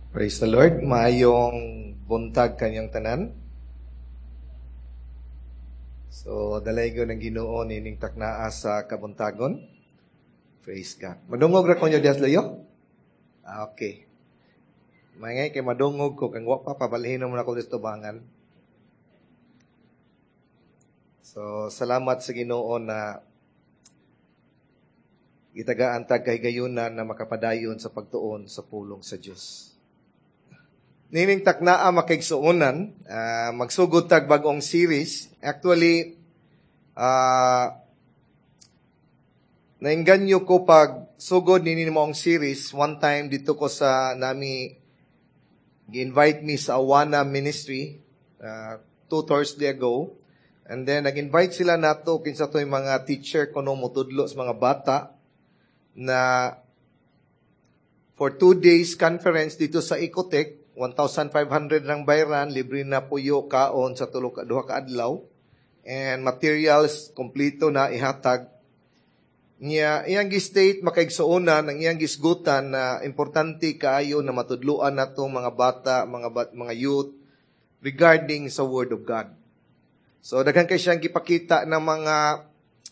Praise the Lord. Maayong buntag kanyang tanan. So, dalaygon ng Ginoo nining taknaa sa kabuntagon. Praise God. Madungog ra ko nyo diha layo? Ah, okay. Maingay kay madungog ko kang wa pa pabalhin mo na ko dito tubangan. So, salamat sa Ginoo na gitagaan tag kahigayunan na makapadayon sa pagtuon sa pulong sa Dios. Nining taknaa, makaigsuonan, magsugod tag bag-ong series. Actually, nainganyo ko pag sugod nini maong series. One time dito ko sa nami gi-invite me sa Awana Ministry 2 Thursday ago. And then nag-invite sila nato kinsa to'y mga teacher kuno motudlo sa mga bata na for 2 days conference dito sa Ecotech. 1,500 rang bayran, libre na puyo, kaon sa tulo ka duha ka adlaw. And materials kompleto na ihatag. Niya, iyang gi-state, makaigsuonan, ang iyang gisgutan na importante kaayo na matudluan nato mga bata, mga youth regarding sa Word of God. So daghan kay siyang gipakita ng mga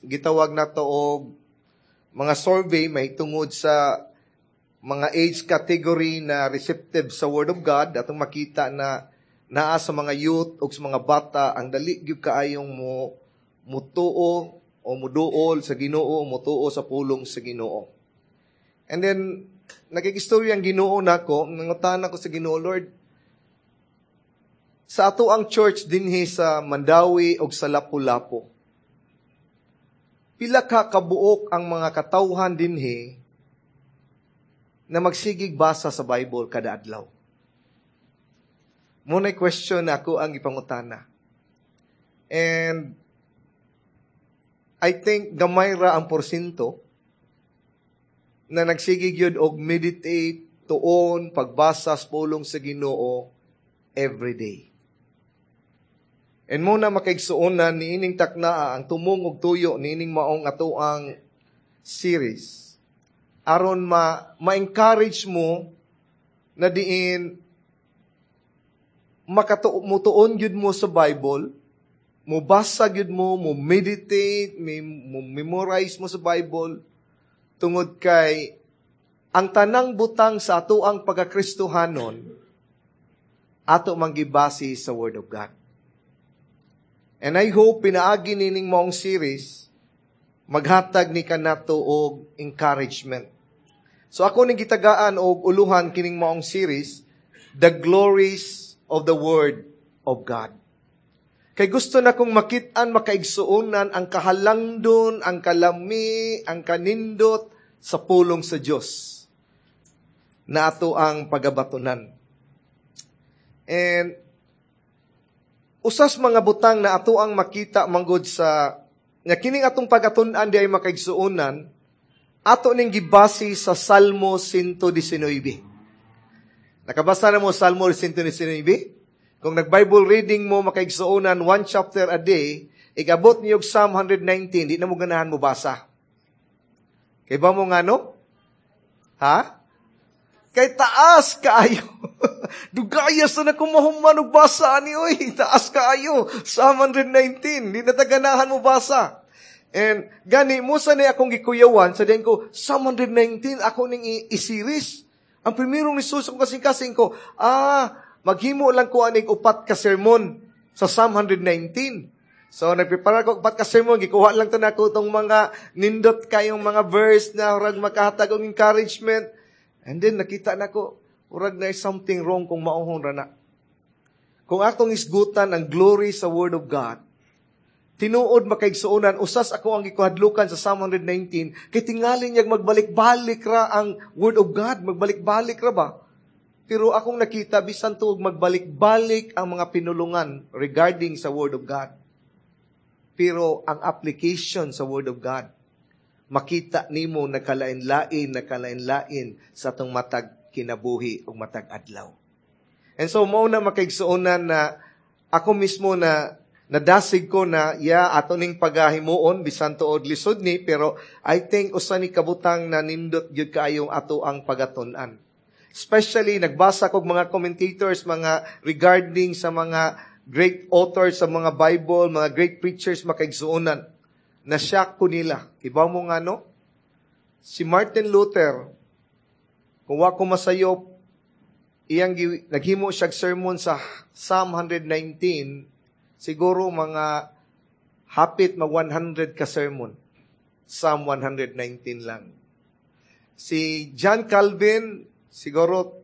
gitawag nato og mga survey may tungod sa mga age category na receptive sa Word of God, atong makita na naa sa mga youth o sa mga bata ang dali gyud kaayong mo mutuo o muduol sa Ginoo, mutuo sa pulong sa Ginoo. And then nakigistorya ang Ginoo nako, nangutana ko sa Ginoo, "Lord, sa ato ang church dinhi sa Mandaue og sa Lapu-Lapu, pila ka kabuok ang mga katawhan dinhi na magsigig basa sa Bible kada adlaw?" Mao question na ako ang ipangutana. And I think gamay ra ang porsyento na nagsigig yun og meditate, tuon, pagbasa sa pulong sa Ginoo every day. And mao na, makaigsuonan, niining taknaa ang tumong og tuyo niining maong ato ang series aron ma ma-encourage mo na diin mutuon gyud mo sa Bible, mobasa gyud mo, mo meditate, mo memorize mo sa Bible tungod kay ang tanang butang sa ato ang pagkakristohanon ato mang gibase sa Word of God. And I hope pinaagi nining maong series maghatag ni kanato og encouragement. So ako ning gitagaan og uluhan kining maong series, "The Glories of the Word of God." Kay gusto na kong makit-an, makaigsuonan, ang kahalangdon, ang kalami, ang kanindot sa pulong sa Dios na ato ang pagabatonan. And usas mga butang na ato ang makita manggod sa nga kining atong pagatun-an di ay, makaigsuonan, ato ning gibase sa Salmo 119. Nakabasa na mo Salmo 119? Kung nag-Bible reading mo, makaigsuonan, one chapter a day, ikabot niyo Psalm 119, di na mo ganahan mo basa. Kay ba mo nga no? Ha? Kay taas kaayo. Dugaya sa na kumahuman og basa ani oy. Taas kaayo. Psalm 119. Di na taganahan mo basa. And gani mo sa ni akong gikuyawan sa din ko Psalm 119 ako ning i-series. Ang primerong nisulod sa akong kasing-kasing ko, maghimo lang ko aning upat ka sermon sa Psalm 119. So, nagprepare ko upat ka sermon, gikuha lang to nako tong mga nindot kayong mga verse na murag makahatag og encouragement. And then nakita nako, murag na something wrong kung mauhon ra na. Kung atong isgutan ang glory sa Word of God, tinuod, makaigsuonan, usas ako ang gikuhadlukan sa Psalm 119, kay tingali niya magbalik-balik ra ang Word of God, magbalik-balik ra ba? Pero akong nakita, bisan tuog magbalik-balik ang mga pinulungan regarding sa Word of God, pero ang application sa Word of God, makita nimo nagkalain-lain, nagkalain-lain sa atong matag kinabuhi o matag adlaw. And so, mao na, makaigsuonan, na ako mismo na nadasig ko na ya ato ning pagahimuon bisan tuod lisod ni, pero I think usa ni kabutang na nindot gyud kaayong ato ang pagatun-an. Especially, nagbasa kog mga commentators, mga regarding sa mga great authors sa mga Bible, mga great preachers, makaigsuonan. Na-shock ko nila. Iba mo nga, no? Si Martin Luther, kung wa ko masayop, iyang naghimo siya sermon sa Psalm 119, siguro mga hapit mag 100 ka sermon. Psalm 119 lang. Si John Calvin, siguro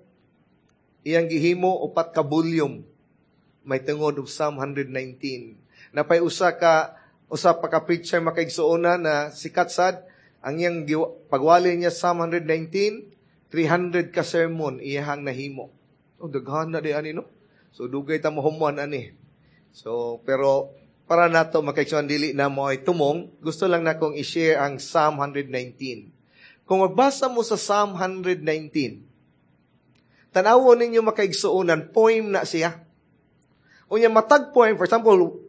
iyang gihimo 4 ka volume may tungod og Psalm 119. Napay usa pa ka preacher, makaigsuonan, na sikat sad, ang iyang pagwali niya Psalm 119, 300 ka sermon iyahang nahimo. Oh, daghan na di ani, no? So dugay ta mohuman ani. So pero para nato, makaigsuonan, dili na mo ay tumong, gusto lang nakong i-share ang Psalm 119. Kung magbasa mo sa Psalm 119, tan-awon ninyo, makaigsuonan, poem na siya. Unya matag poem, for example,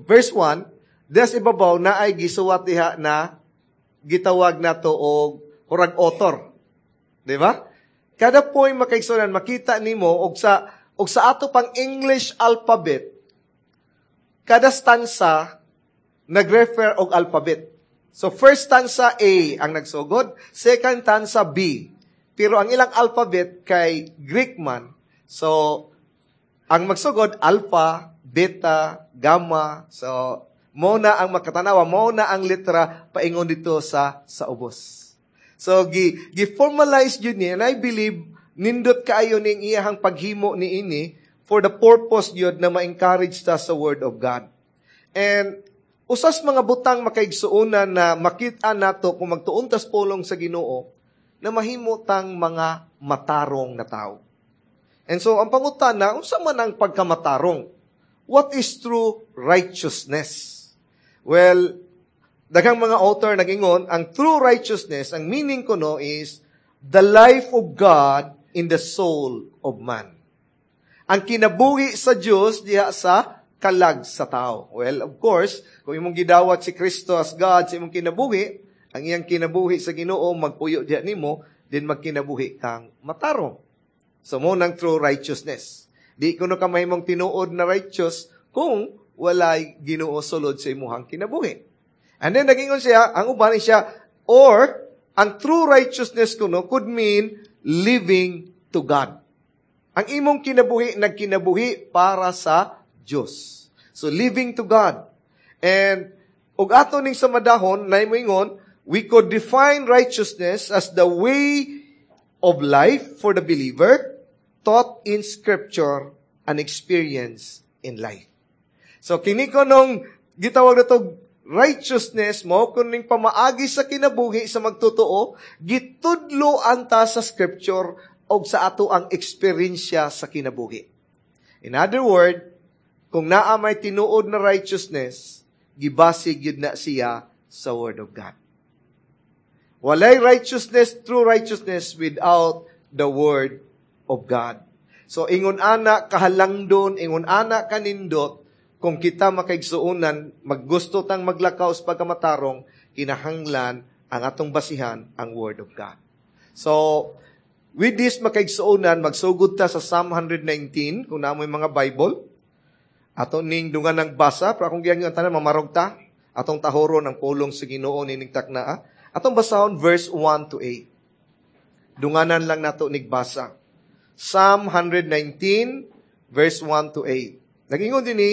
verse 1, des ibabaw na ay gisuwat diha na gitawag nato og hurag author. Di ba? Kada poem, makaigsuonan, makita nimo og sa ato pang English alphabet, kada stanza nagrefer og alphabet. So first stanza, A ang nagsugod, second stanza, B. Pero ang ilang alphabet kay Greek man. So ang magsugod, alpha, beta, gamma. So mo na ang makatanawa, mo na ang letra paingon dito sa ubos. So gi gi-formalize yun ni, and I believe nindot kaayo ning iyahang paghimo ni ini for the purpose yun na ma-encourage ta sa Word of God. And usas mga butang, makaigsuonan, na makita nato kung magtuon tas pulong sa Ginoo na mahimo tang mga matarong na tao. And so ang pangutana, unsa man ang pagkamatarong? What is true righteousness? Well, daghang mga author nagingon, ang true righteousness, ang meaning ko no is the life of God in the soul of man. Ang kinabuhi sa Dios diha sa kalag sa tao. Well, of course, kung imong gidawat si Kristo as God sa imong kinabuhi, ang iyang kinabuhi sa Ginoo magpuyo diha nimo, din magkinabuhi kang matarong. So mo nang true righteousness. Di kuno ka mahimong tinuod na righteous kung walay Ginoo sulod sa imuhang kinabuhi. And then nagingon siya, ang uban siya, or ang true righteousness kuno could mean living to God. Ang imong kinabuhi nagkinabuhi para sa Dios. So living to God. And ug ato ning sa madahon na moingon, we could define righteousness as the way of life for the believer taught in Scripture and experience in life. So kini ko nung gitawag na to righteousness mo kuning pamaagi sa kinabuhi sa magtotoo gitudlo anta sa Scripture og sa ato ang eksperyensya sa kinabuhi. In other word, kung naa may tinuod na righteousness, gibase gyud na siya sa Word of God. Walay righteousness, true righteousness without the Word of God. So ingon ana kahalangdon, ingon ana kanindot, kung kita, makaigsuonan, maggusto tang maglakaw sa pagkamatarong, kinahanglan ang atong basihan ang Word of God. So, with this, makaigsuonan, magsugod ta sa Psalm 119, kung naa moy mga Bible. Ato ning dungan ng basa, pero akong giyan yung tanan, mamarog ta. Atong tahoron ang pulong sa Ginoo nining taknaa. Atong basahon verse 1 to 8. Dunganan lang nato nigbasa. Psalm 119, verse 1 to 8. Nagingon din ni,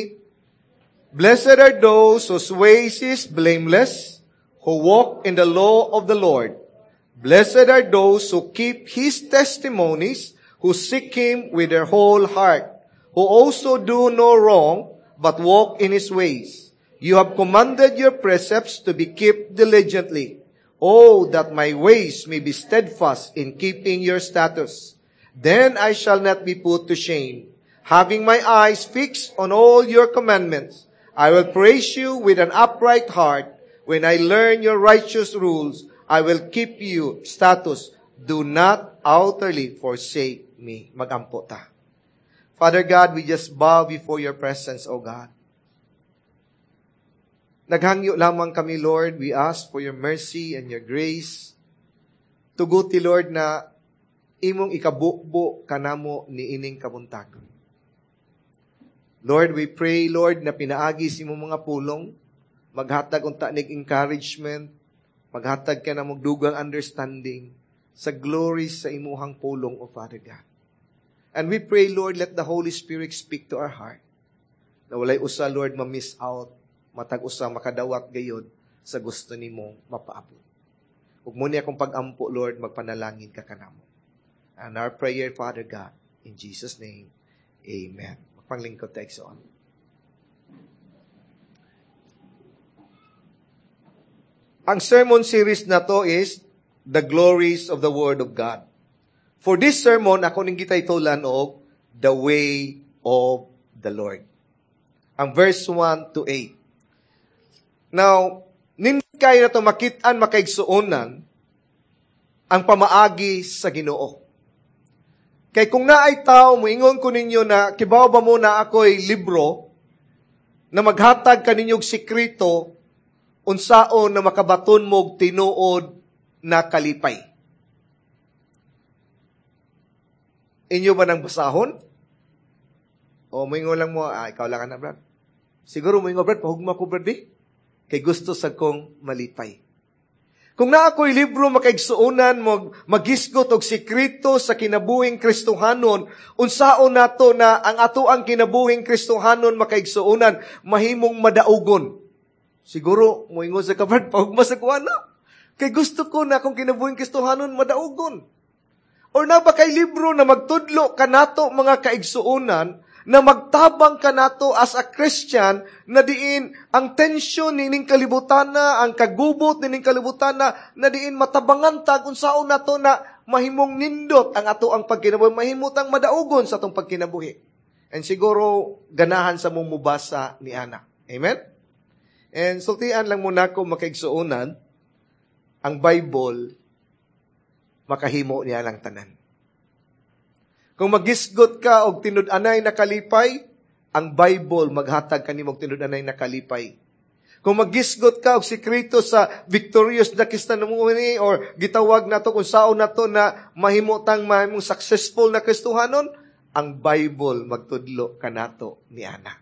"Blessed are those whose ways is blameless, who walk in the law of the Lord. Blessed are those who keep His testimonies, who seek Him with their whole heart, who also do no wrong, but walk in His ways. You have commanded your precepts to be kept diligently. Oh, that my ways may be steadfast in keeping your statutes. Then I shall not be put to shame. Having my eyes fixed on all your commandments, I will praise you with an upright heart. When I learn your righteous rules, I will keep your statutes. Do not utterly forsake me." Magampo ta. Father God, we just bow before your presence, O God. Naghangyo lamang kami, Lord. We ask for your mercy and your grace. Tuguti, Lord, na Imong ikabubo kanamo niining kabuntag. Lord, we pray, Lord, na pinaagi sa imong mga pulong, maghatag unta nig encouragement, maghatag ka na dugang understanding sa glory sa imuhang pulong, O Father God. And we pray, Lord, let the Holy Spirit speak to our heart. Na walay usa, Lord, ma-miss out, matag usa makadawat gayod sa gusto nimo mapaabot. Ug mao ni akong pag-ampo, Lord, magpanalangin ka kanamo. And our prayer, Father God, in Jesus' name, amen. Magpanglingkod ta, igsoon. Ang sermon series na to is The Glories of the Word of God. For this sermon, ako ning gitaytolan og The Way of the Lord. Ang verse 1 to 8. Now, nindot kayo na ito makit-an, makaigsuonan ang pamaagi sa Ginoo. Kay kung naay tao, moingon ko ninyo na, kibaw ba mo na ako'y libro na maghatag kaninyog sikreto unsaon na makabaton mo'g tinuod na kalipay? Inyo ba nang basahon? O moingon lang mo, ikaw lang ka na, Brad. Siguro moingon, Brad, pahugma ko, Brad, eh. Kay gusto sa kong malipay. Kung naa ako'y libro makaigsuonan mo, magisgot og sikreto sa kinabuhing Kristohanon, unsaon nato na ang ato ang kinabuhing Kristohanon makaigsuonan, mahimong madaugon. Siguro, moingon sa ka, Brad, pahugma sa kuha na. Kay gusto ko na akong kinabuhing Kristohanon madaugon. Or na ba kay libro na magtudlo kanato mga kaigsuonan, na magtabang kanato as a Christian, na diin ang tensyon nining kalibutan na, ang kagubot nining kalibutan na, na diin matabangan tag unsaon nato na mahimong nindot ang ato ang pagkinabuhi, mahimot ang madaugon sa atong pagkinabuhi. And siguro ganahan sa mong mubasa ni Ana. Amen? And sultian lang muna ko makaigsuonan, ang Bible makahimo niya lang tanan. Kung magisgot ka og tinud-anay na kalipay, ang Bible maghatag kanimo og tinud-anay na kalipay. Kung magisgot ka og sikreto sa victorious na Kristiyanismo or gitawag nato kung saon nato na mahimutang mahimong successful na Kristohanon, ang Bible magtudlo kanato ni Ana.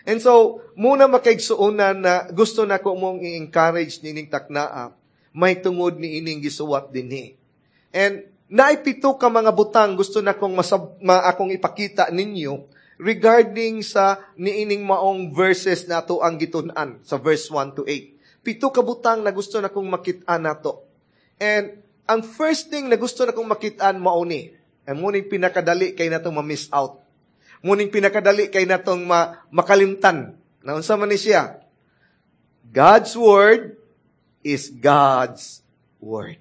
And so, muna makaigsuonan na gusto na ko mong i-encourage nining taknaa, may tungod ni ining gisuwat dinhi. And naipito ka mga butang gusto na kong akong ipakita ninyo regarding sa niining maong verses na ato ang gitun-an sa verse 1 to 8. 7 ka butang na gusto na kong makit-an nato. And ang first thing na gusto na kong makit-an mao ni, ang muning pinakadali kay natong ma-miss out. Muning pinakadali kay natong makalimtan. Naunsa man ni siya? God's word is God's word.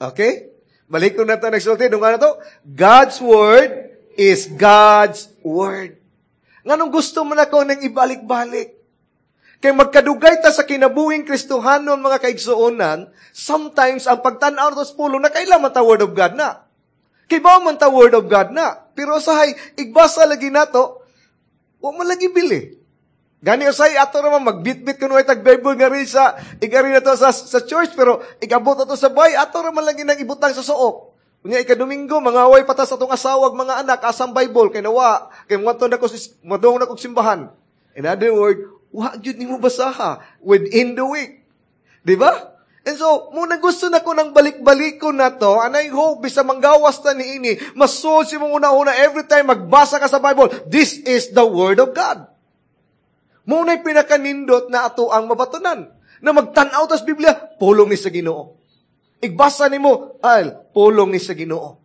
Okay? Balik ko na ito nagsulti. Nung ano to? God's word is God's word. Nganong gusto mo na ko nang ibalik-balik? Kay magkadugay ta sa kinabuhing Kristohanon, mga kaigsuonan, sometimes ang pagtan-aw sa pulong, nakaila man ta word of God na. Kibaw man ta word of God na. Pero usahay, igbasa lagi nato, wa man lagi bili. Gani usahay, ato naman, magbitbit kuno ay tag Bible nga rin sa, igari na to sa church, pero igabot na to sa bay, ato naman lagi nang ibutang sa suok. Unya ikadomingo, mangaway pa ta sa atong asawag, mga anak, asang Bible, kay nawa, kay muadto na ko, muadto na kog simbahan. In other word, wa gyud nimo basaha within the week. Di ba? And so, muna gusto na ko nang balik-balik ko na to, and I hope, bisa manggawas ta niini, masulod si mong una-una, every time magbasa ka sa Bible, this is the Word of God. Muna'y pinakanindot na ato ang mabatunan. Na magtan-aw tas Biblia, pulong ni sa Ginoo. Igbasa nimo, ay, pulong ni sa Ginoo.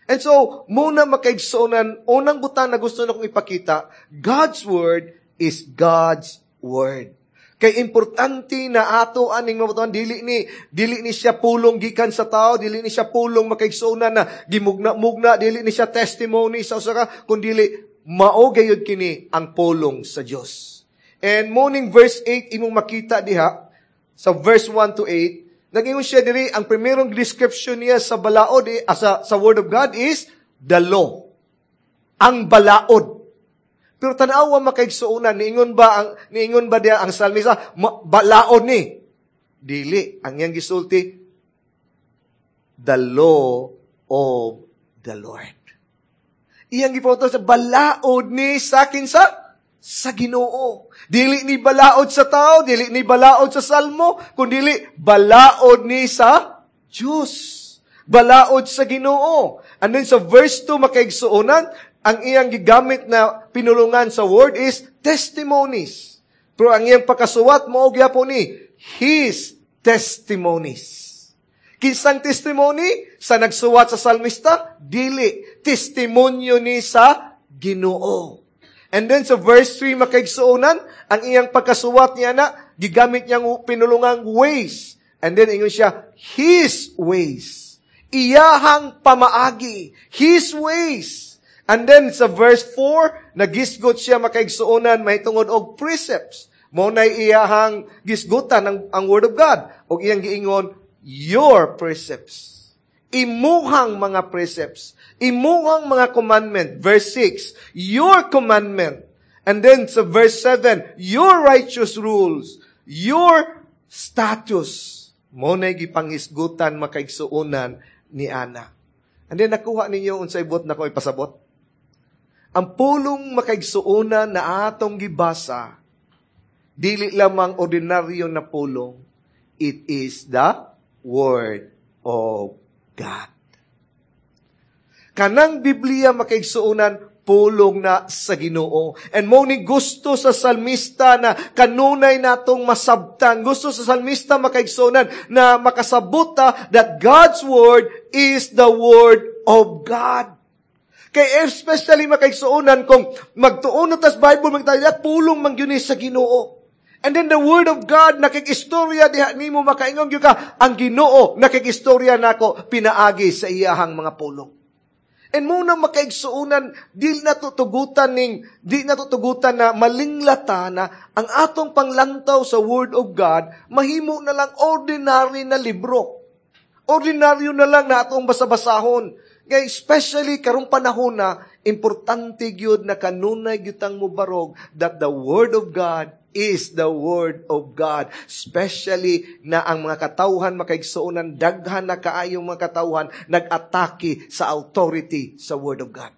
And so, muna makaigsuonan, unang butang na gusto na kong ipakita, God's Word is God's Word. Kay importante na ato aning mabatuan, dili ni siya pulong gikan sa tao, dili ni siya pulong makaigsuonan na gimugna-mugna, dili ni siya testimony sa usa ka, kundi mao gayud kini ang pulong sa Dios. And morning verse 8 imong makita diha sa verse 1 to 8, nagingon siya diri ang primerong description niya sa balaod, sa Word of God is the law. Ang balaod. Pero tan-awa makaigsuonan, niingon ba diha ang salmista, balaod ni? Dili, ang iyang gisulti, the law of the Lord. Iyang gipahuto sa balaod ni sa kinsa? Sa Ginoo. Dili ni balaod sa tao, dili ni balaod sa salmo, kundili balaod ni sa Diyos. Balaod sa Ginoo. And then sa verse 2, makaigsuonan, ang iyang gigamit na pinulungan sa word is testimonies. Pero ang iyang pagkasuwat mao gyapon ni his testimonies. Kinsang testimony? Sa nagsuwat sa salmista? Dili. Testimonyo ni sa Ginoo. And then sa verse 3, makaigsuonan, ang iyang pagkasuwat niya na, gigamit niyang pinulungang ways. And then ingon siya, his ways. Iyahang pamaagi. His ways. And then sa verse 4, nagisgot siya, makaigsuonan, mahitungod og precepts. Mao nay iyahang gisgutan ang Word of God. Og iyang giingon, your precepts. Imuhang mga precepts. Imuhang mga commandment. Verse 6, your commandment. And then sa verse 7, your righteous rules. Your statutes. Mao nay gipanghisgutan, makaigsuonan, ni ana. And then nakuha ninyo unsay buot nako ipasabot? Ang pulong, makaigsuonan, na atong gibasa, dili lamang ordinaryo na pulong, it is the Word of God. Kanang Biblia, makaigsuonan, pulong na sa Ginoo. And mao ni gusto sa salmista na kanunay natong masabtan. Gusto sa salmista, makaigsuonan, na makasabot ta that God's Word is the Word of God. Kay especially, makaigsuonan, kung magtuon na tas Bible, magtaya pulong man gyud ni sa Ginoo. And then the Word of God, nakikistorya diha nimo, makaingon gyud ka, ang Ginoo nakikistorya nako pinaagi sa iyahang mga pulong. And mao na, makaigsuonan, di na tutugutan na malinglata na ang atong panglantaw sa Word of God, mahimo na lang ordinary na libro. Ordinaryo na lang na atong basa-basahon. Kay especially karong panahon na, importante gyud na kanunay gyud tang mobarog that the Word of God is the Word of God. Especially na ang mga katawhan, makaigsuonan, daghan na kaayong mga katawhan nag-atake sa authority sa Word of God.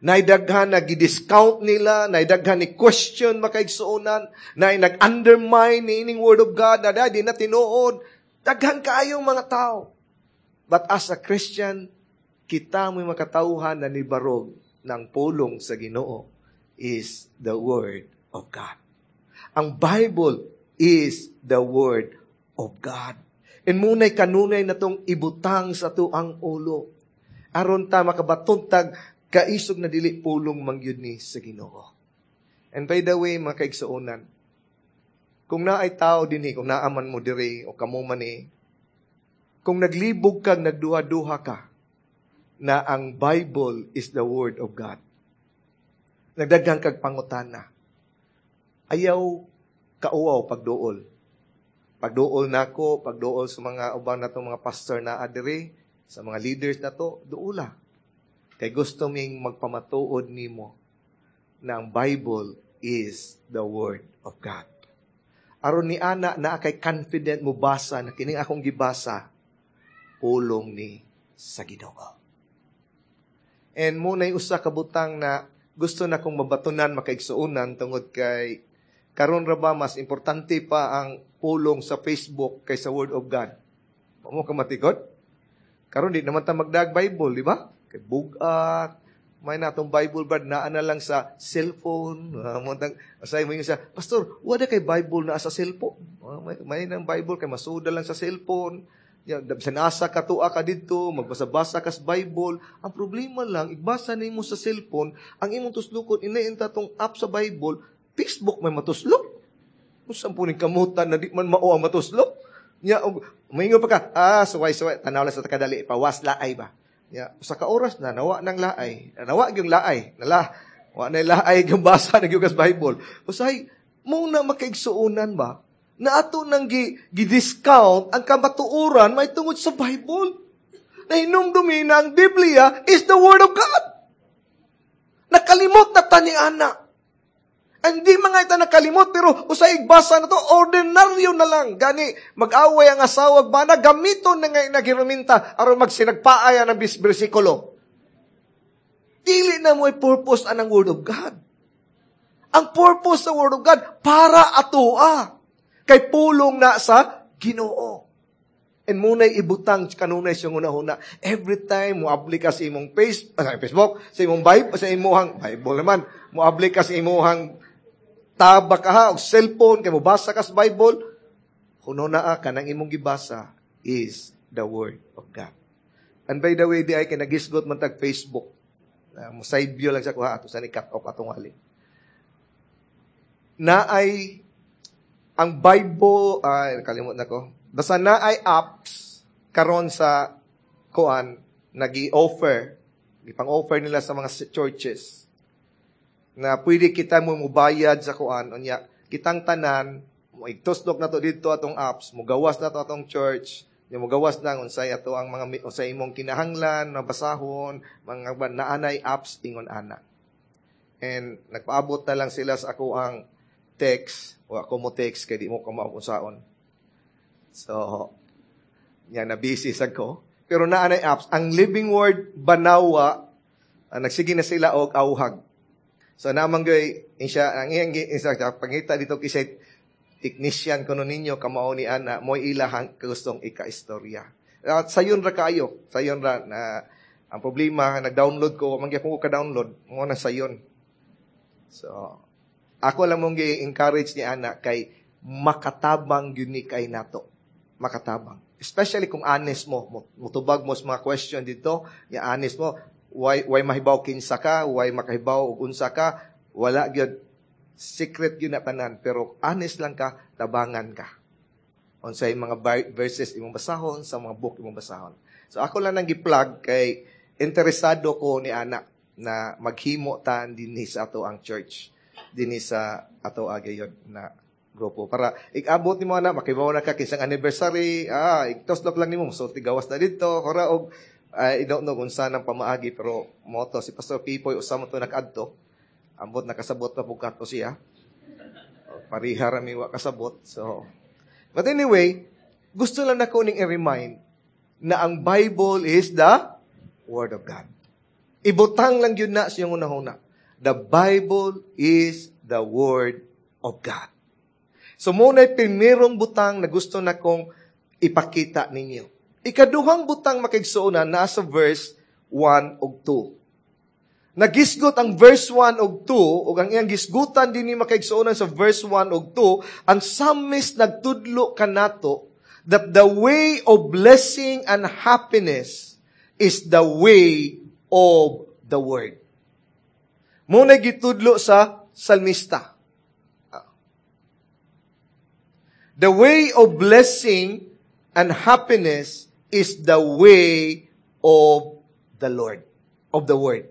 Naidaghan na gidiscount nila, naidaghan ni question, makaigsuonan, na nag-undermine ni ining Word of God, na di na tinuod. Daghan kaayong mga tao. But as a Christian, kita mo'y makatawhan na nibarog ng pulong sa Ginoo is the Word of God. Ang Bible is the Word of God. And mao nay kanunay na tong ibutang sa tuang ulo. Aron ta makabaton tag kaisog na dili pulong mangyud ni sa Ginoo. And by the way, mga kaigsuonan, kung naay tao dinhi, kung naaman mo diri o kamo man ni, kung naglibog kag nagduha-duha ka na ang Bible is the Word of God, nagdaghang kag pangutana, ayaw kauaw pagduol. Pagduol nako, pagduol sa mga uban natong mga pastor na adiri, sa mga leaders na to, duula. Kay gusto ming magpamatuod nimo na ang Bible is the Word of God. Aron ni ana na kay confident mo basa na kining akong gibasa, pulong ni sa Ginoo. And mao na usa ka butang na gusto na kong mabatunan, makaigsuonan, tungod kay karon ra ba mas importante pa ang pulong sa Facebook kaysa Word of God. Mo ka matikod? Karon di naman ta magdag Bible, di ba? Kay bugat, may natong Bible brad naa na lang sa cellphone. Asay mo yung sa, "Pastor, wala kay Bible na sa cellphone." May nang Bible kay masuda lang sa cellphone. Ya, bisan asa ka tuwa ka didto, magbasa-basa ka sa Bible. Ang problema lang, igbasa nimo sa cellphone, ang imong tuslukon inainta tong app sa Bible, Facebook may matuslok. Unsa po ning kamutan na di man mao ang matuslok? Nya og maingon pa ka, "Ah, suway suway, tanaw lang sa kadali, pawas laay ba." Ya, usa ka oras na nawa nang laay. Nawa gyung laay. Nala, wa na laay gyung basa na gyud Bible. Usahay mao na, makaigsuonan ba? Na ato nang gi-discount ang kamatuoran may tungod sa Bible. Na hinumdumi na ang Biblia is the Word of God. Nakalimot na ta ni ana. Hindi mga ita nakalimot, pero usay igbasa na to, ordinaryo na lang. Gani, mag-away ang asawa, bana, gamiton na nga nagiraminta, aron magsinagpaaya ng bersikulo. Dili na mo purpose anang Word of God. Ang purpose sa Word of God, para atoa. Kay pulong na sa Ginoo. And muna'y ibutang kanunay siyang una-una. Every time mo abli ka sa imong Facebook, sa imong Bible, sa imong Bible naman, mo abli ka sa imong tabak ka ha, o cellphone, kay mo basa ka sa Bible, kuno na ka nang imong gibasa is the Word of God. And by the way, di ay kay nagisgot man tag Facebook. Mo side view lang sa kuha ato sa ni cut off atong wali. Na ay ang Bible, ay kalimot na ko. Basta na ay apps karon sa kuan nagi-offer, gipang-offer nila sa mga churches na pwede kita mo mubayad sa kuan, unya kitang tanan mo igtusdok na to didto atong apps, mugawas na to atong church, nya mugawas na unsay ato ang mga unsay imong kinahanglan mabasahon, mga naanay apps ingon ana. And nagpaabot na lang sila sa ako ang text, wa ko mo text kay di mo ko unsaon. So, nya na busy sad ko. Pero naanay apps, ang Living Word Banawa, nagsige na sila og auhag. So naman gay siya ang iyang isa pangita dito kisay technician kuno ninyo kamao ni ana mo'y ilahang gustong ika-istorya. At sayon ra kayo, sayon ra na ang problema nag-download ko, man gyapon ko ka-download, mo na sayon. So ako lang mong gi-encourage ni ana kay makatabang gyud ni kay nato. Makatabang. Especially kung honest mo, mutubag mo sa mga question dito, ya honest mo, why mahibaw kinsa ka, why makahibaw og unsa ka, wala gyud secret gyud na tanan, pero honest lang ka, tabangan ka. Unsay mga verses imong basahon, sa mga book imong basahon. So ako lang nang gi-plug kay interesado ko ni ana na maghimo ta dinhi sa ato ang church, dinhi sa ato agayon na grupo para ikabot nimo ana makibaw na ka kinsang anniversary, igtoslok lang nimo so tigawas na didto kora og I don't know kung saan ang pamaagi, pero moto si Pastor Pipoy usa mo to nag-adto, ambot nakasabot pa pug kato siya, pariha ra mi wa kasabot. So but anyway, gusto lang nako ning i-remind na ang Bible is the Word of God. Ibutang lang yun na siyang unahuna. The Bible is the Word of God. So, muna'y primerong butang na gusto na kong ipakita ninyo. Ikaduhang butang makigsuonan nasa verse 1 ug 2. Nagisgot ang verse 1 ug 2, ug ang iyang gisgutan din ni makigsuonan sa verse 1 ug 2, ang psalmist nagtudlo kanato that the way of blessing and happiness is the way of the Word. Muna gitudlo sa salmista. The way of blessing and happiness is the way of the Lord, of the Word.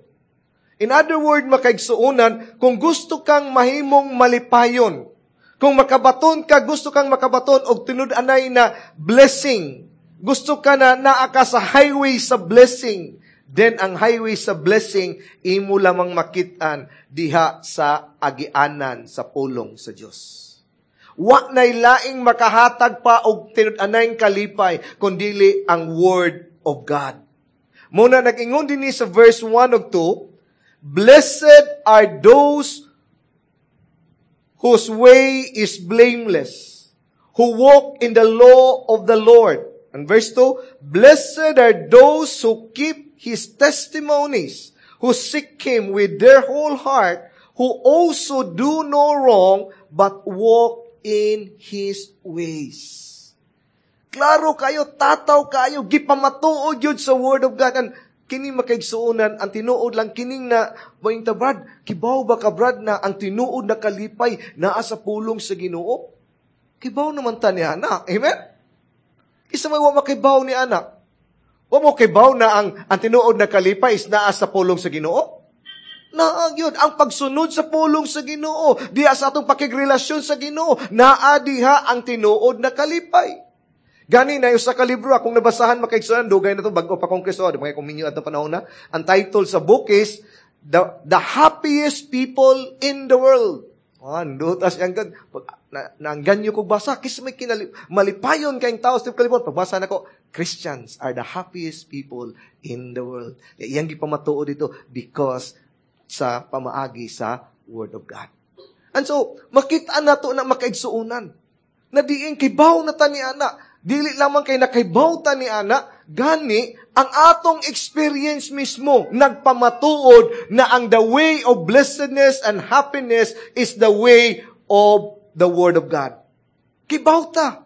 In other words, makaigsuonan, kung gusto kang mahimong malipayon, kung makabaton ka, gusto kang makabaton og tinud-anay na blessing, gusto ka na naa ka sa highway sa blessing, then ang highway sa blessing, imo lamang makit-an diha sa agianan sa pulong sa Dios. Wa na'y laing makahatag pa og tinud-anay kalipay, kundili ang Word of God. Muna nag-ingon din ni sa verse 1 ug 2, "Blessed are those whose way is blameless, who walk in the law of the Lord." And verse 2, "Blessed are those who keep His testimonies, who seek Him with their whole heart, who also do no wrong, but walk in His ways." Klaro kayo, tataw kayo, gipamatuod yun sa Word of God. And kini makaigsuonan, ang tinuod lang kining na, mointa Brad, kibaw ba ka Brad na ang tinuod na kalipay naa sa pulong sa Ginoo? Kibaw naman ta ni anak. Amen? Isa may wa makibaw ni anak. Wa mo kibaw na ang tinuod na kalipay is naa sa pulong sa Ginoo? Naa yun. Ang pagsunod sa pulong sa Ginoo, diha sa atong pakigrelasyon sa Ginoo, naa diha ang tinuod na kalipay. Gani na yung sa kalibro, akong nabasahan makaigsunan, dugay na to, bago pa kong Kristo, di mga kuminyo at panahon na. Ang title sa book is, The Happiest People in the World. Ah, tas ang pag na, naangganyo kog basa kis may kinali, malipayon kayong tao sa kalibutan. Pagbasa nako, "Christians are the happiest people in the world." Iyang gipamatuod dito because sa pamaagi sa Word of God. And so, makita nato na, makaigsuonan, na diin kibaw na ta ni ana. Dili lamang kay nakaibaw ta ni ana, gani ang atong experience mismo nagpamatuod na ang the way of blessedness and happiness is the way of the Word of God. Kibaw ta.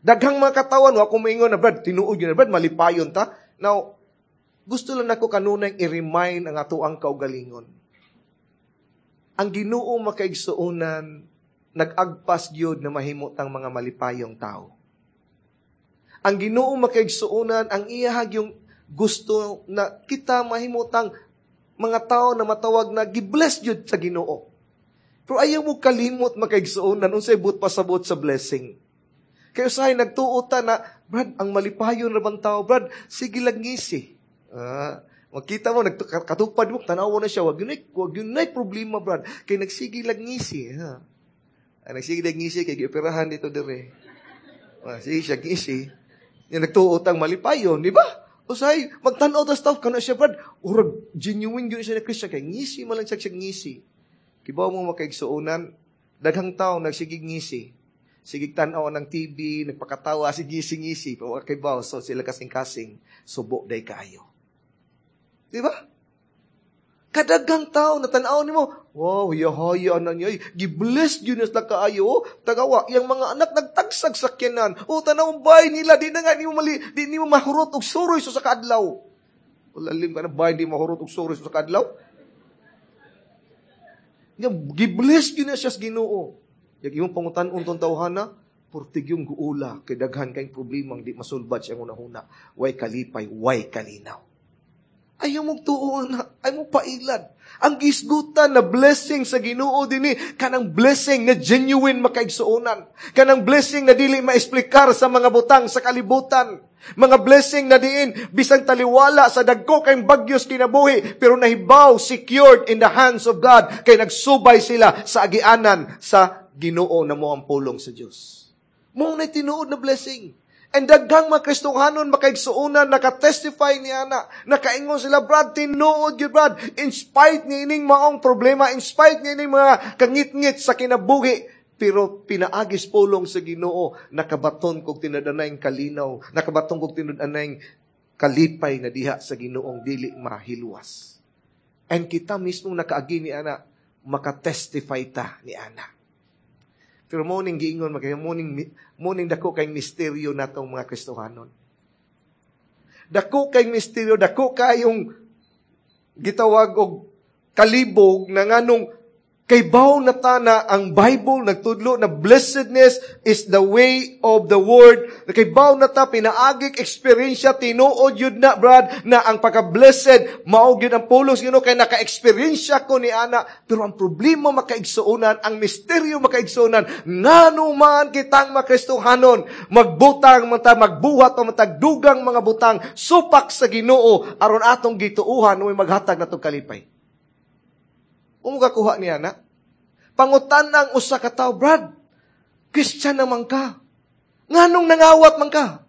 Daghang mga katawan, wa ko moingon na, "Brad, tinuod yun, Brad, malipayon ta." Now, gusto lang nako kanunay i-remind ang ato ang kaugalingon. Ang Ginoo, makaigsuonan, nag-agpas gyud na mahimo tang mga malipayong tao. Ang Ginoo, makaigsuonan, ang iyahag yung gusto na kita mahimutang mga tao na matawag na gi-bless gyud sa Ginoo. Pero ayaw mo kalimot, makaigsuonan, unsay buot pasabot sa blessing. Kaya usahay nagtuo ta na, "Brad, ang malipayon ra bang tao, Brad, sige lang ngisi." Ah, makita mo, katupad mo, tanaw na siya, wag yun problema, Brad. Kay nagsige lang ngisi. Ha? Ah, nagsige lang ngisi, kay gioperahan dito dire. Ah, sige siya ngisi. Yung nagtuo tang malipayon, di ba? Usay, magtanaw ta staff, kano siya, Brad, urag, genuine yun siya na Christian, kay ngisi man lang siya ngisi. Kibaw mo, makaigsuonan, daghang tao nagsigig ngisi. Sigig tanaw ng TV, nagpakatawa, sige ngisi, pero kibaw, so sila kasing-kasing, subo day kaayo. Di ba? Kadaghang tao na tanaw nimo, "Wow, yahaya na niya, gi-bless yun na kaayo, tagawa, yang mga anak nagtagsag sakyanan, oh, tanaw bay nila, di na nga nimo mali, di nimo mahurot og suroy sa kaadlaw." Lalim ka na bay, di mahurot og suroy sa kaadlaw. Nga gi-bless yun na siya sa Ginoo. Yag imong pangutan-on tong tawhana, purtig yung guula, kay daghan kay problemang di masulbad siyang hunahuna. Way kalipay, way kalinaw. Ayaw mong tuo na, ayaw mong pailad. Ang gisgutan na blessing sa Ginoo dinhi, kanang blessing na genuine, makaigsuonan. Kanang blessing na dili maesplikar sa mga butang sa kalibutan. Mga blessing na diin, bisang taliwala sa dagko kay bagyos kinabuhi, pero nahibaw, secured in the hands of God, kay nagsubay sila sa agianan sa Ginoo na mo ang pulong sa Dios. Mo na tinuod na blessing. And daghang mga Kristohanon, makaigsuonan, nakatestify ni ana, nakaingon sila, "Brad, tinuod yun, Brad, in spite ni ining maong problema, in spite ni ining mga kangit-ngit sa kinabuhi, pero pinaagis pulong sa Ginoo, nakabaton kog tinud-anay kalinaw, nakabaton kog tinud-anay kalipay na diha sa Ginoong dili mahilwas." And kita mismo nakaagi ni ana, makatestify ta ni ana. Pero mo ning giingon makaya mo ning dako kay misteryo natong mga Kristohanon. Dako kay misteryo, dako kayong gitawag og kalibog na nganong kay baw na ta na ang Bible nagtudlo na blessedness is the way of the Word. Kay baw na ta pinaagik eksperyensya, tinuod yun na, Brad, na ang pagka-blessed mao gyud ang pulong Ginoo kay naka-eksperyensya ko ni ana. Pero ang problema, makaigsuonan, ang misteryo, makaigsuonan, ngano man kitang mga Kristohanon magbutang man ta, magbuhat pa man dugang mga butang supak sa Ginoo aron atong gituuhan may maghatag natong kalipay. Umukakuha niya na. Pangutan ang usa ka tawo, "Brad, Christian naman ka. Nganong nangawat man ka?"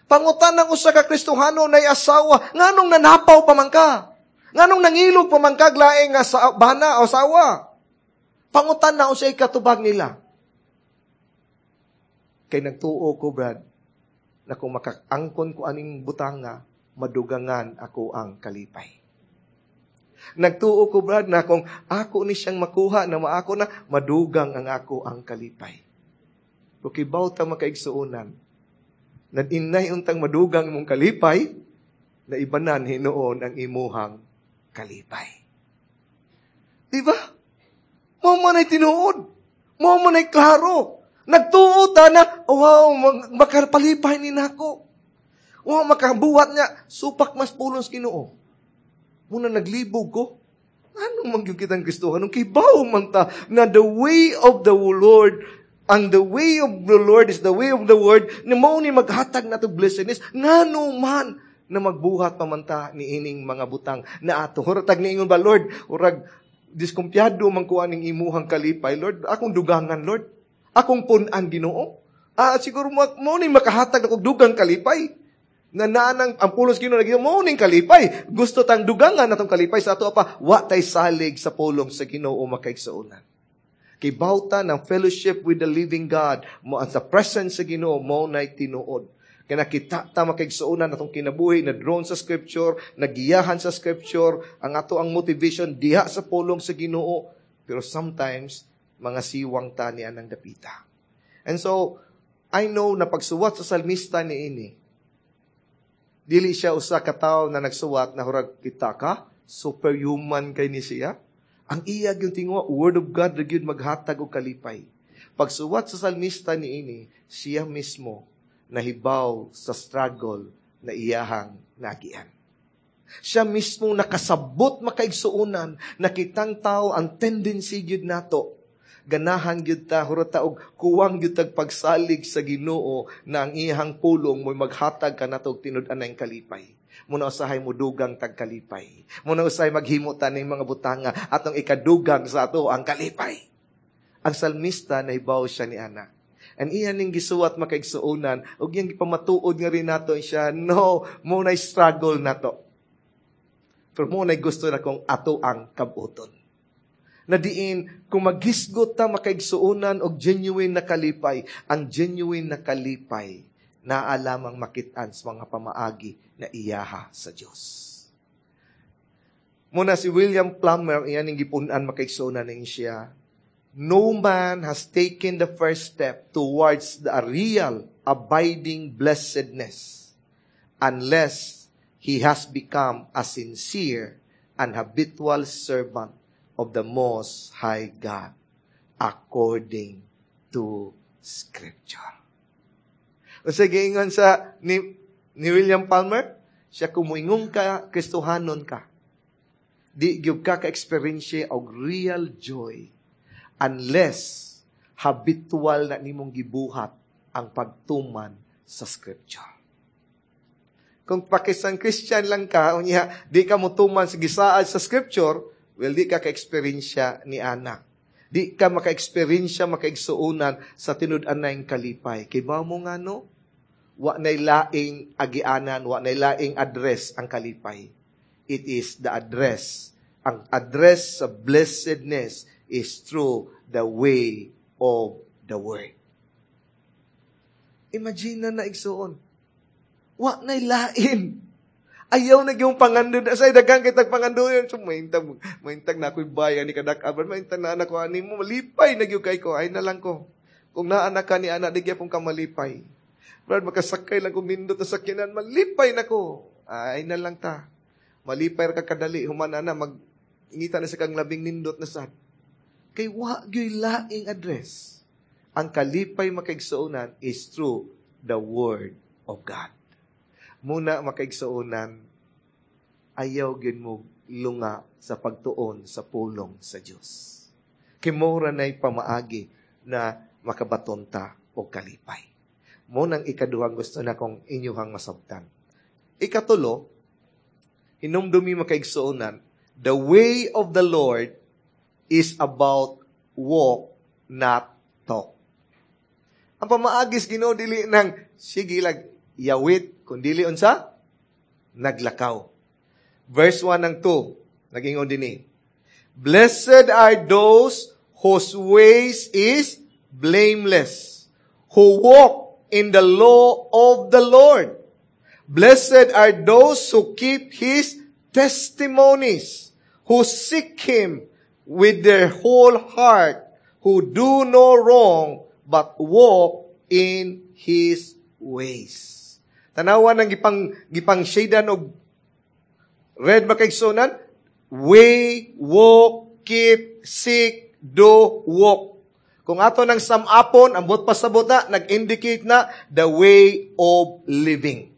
Pangutan ang usa ka Kristohano na asawa, "Nganong nanapaw pa man ka? Nganong nangilog pa man ka laing nga sa bana o asawa?" Pangutan na unsay katubag nila. "Kay nagtuo ko, Brad, na kung makaangkon ko aning butanga, madugangan ako ang kalipay. Nagtuo ko, Brad, na kung ako ni siyang makuha, na maako na, madugang ang ako ang kalipay." Pero kibaw ta, makaigsuonan, na inay untang madugang imong kalipay, na ibanan hinuon ang imuhang kalipay. Di ba? Mao man ay tinuod. Mao man ay klaro. Nagtuo ta na, "Wow, makapalipay ni nako. Wow, makabuhat niya. Supak mas pulong sa Ginoo. Muna naglibog ko." Ano man yung kitang Kristohanon? Kibaw man ta na the way of the Lord, and the way of the Lord is the way of the Word, na mao ni maghatag na to blessedness, ngano man na magbuhat pa man ta ni ining mga butang na ato. Huratag niingon ba, "Lord, urag, Diskumpiyado man ko aning imuhang kalipay, Lord. Akong dugangan, Lord. Akong pun-an, Ginoo. Siguro mo ni makahatag ako dugang kalipay. Na naanang ang pulong sa Ginoo naging mo ning kalipay. Gusto tang dugangan atong kalipay sa ato pa, wa tay salig sa pulong sa Ginoo, makaigsuonan. Kay bawta ng fellowship with the living God mo sa presence sa Ginoo mo nay tinuod. Kaya nakita ta, makaigsuonan, atong kinabuhi na drawn sa Scripture, nagiyahan sa Scripture, ang ato ang motivation diha sa pulong sa Ginoo. Pero sometimes, mga siwang ta ni anang dapita. And so, I know na pagsuwat sa salmista ni ini, dili siya usa ka tawo na nagsuwat na hurag kita ka, superhuman kay ni siya. Ang iya gyud tinguha, Word of God ra gyud maghatag og kalipay. Pagsuwat sa salmista ni ini, siya mismo nahibaw sa struggle na iyahang nagian. Siya mismo nakasabot, makaigsuonan, na kitang tao ang tendency gyud nato. Ganahan gyud ta, hurot ta og kuwang gyud tag pagsalig sa Ginoo na ang iyang pulong mo'y maghatag kanato og tinud-anay kalipay. Muna usahay mo dugang tag kalipay. Muna usahay maghimo ta ning mga butanga atong ikadugang sa ato ang kalipay. Ang salmista, nahibaw siya ni ana. And iyan ning gisuwat, makaigsuonan, ug iyang gipamatuod nga rin nato siya, no, mo na struggle nato. Pero mo na gusto na kung ato ang kabuton. Na diin, kung maghisgot ta, makaigsuonan, og genuine na kalipay, ang genuine na kalipay, naa lamang makitaan sa mga pamaagi na iyaha sa Dios. Muna si William Plummer, iyan ang gipunan, makaigsuonan ning siya, "No man has taken the first step towards the real abiding blessedness unless he has become a sincere and habitual servant of the Most High God according to Scripture." O sige, ingon sa ni William Palmer, siya kung muingon ka, Kristohanon ka, di gyud ka ka-experience og real joy unless habitual na nimong gibuhat ang pagtuman sa Scripture. Kung pakisang Christian lang ka, unya, di ka motuman sa gisaad sa Scripture, well, di ka ka-experience ni ana. Di ka maka-experience, makaigsuonan, sa tinud-anay kalipay. Kay ba mo nga no? Wa nay laing agianan, wa nay laing address ang kalipay. It is the address. Ang address sa blessedness is through the way of the Word. Imagine na, igsuon. Wa nay lain. Ayaw na yung pangando. Sa daghang kitag pangando yun. So, mahintag, mahintag na ako'y bayan ni kadak-aban. Mahintag na anak ko. Ani mo, malipay na kay ko. Ay na lang ko. Kung naanak ka ni anak, di gyapon ka malipay. Brad, makasakay lang kung nindot na sakyanan, malipay na ko. Ay na lang ta. Malipay ka kadali. Human na, mag ingita na sa kang labing nindot na sad. Kay wa gyuy laing address. Ang kalipay, makaigsuonan, is through the Word of God. Muna, makaigsuonan, ayaw gyud mo lunga sa pagtuon sa pulong sa Dios. Kay mao ra nay pamaagi na makabaton ta og kalipay. Mo nang ikaduhang gusto na kong inyuhang masabtan. Ikatulo, hinumdumi, makaigsuonan, the way of the Lord is about walk, not talk. Ang pamaagis Ginoo dili nang sige lag yawit, kun dili unsa? Naglakaw. Verse 1 ng 2, nag-ingon dinhi. "Blessed are those whose ways is blameless, who walk in the law of the Lord. Blessed are those who keep His testimonies, who seek Him with their whole heart, who do no wrong, but walk in His ways." Tanawa ng gipang shadean og red, makaigsuonan, way, walk, keep, seek, do, walk. Kung ato ng samapon, ang buot pasabot na, nag-indicate na the way of living.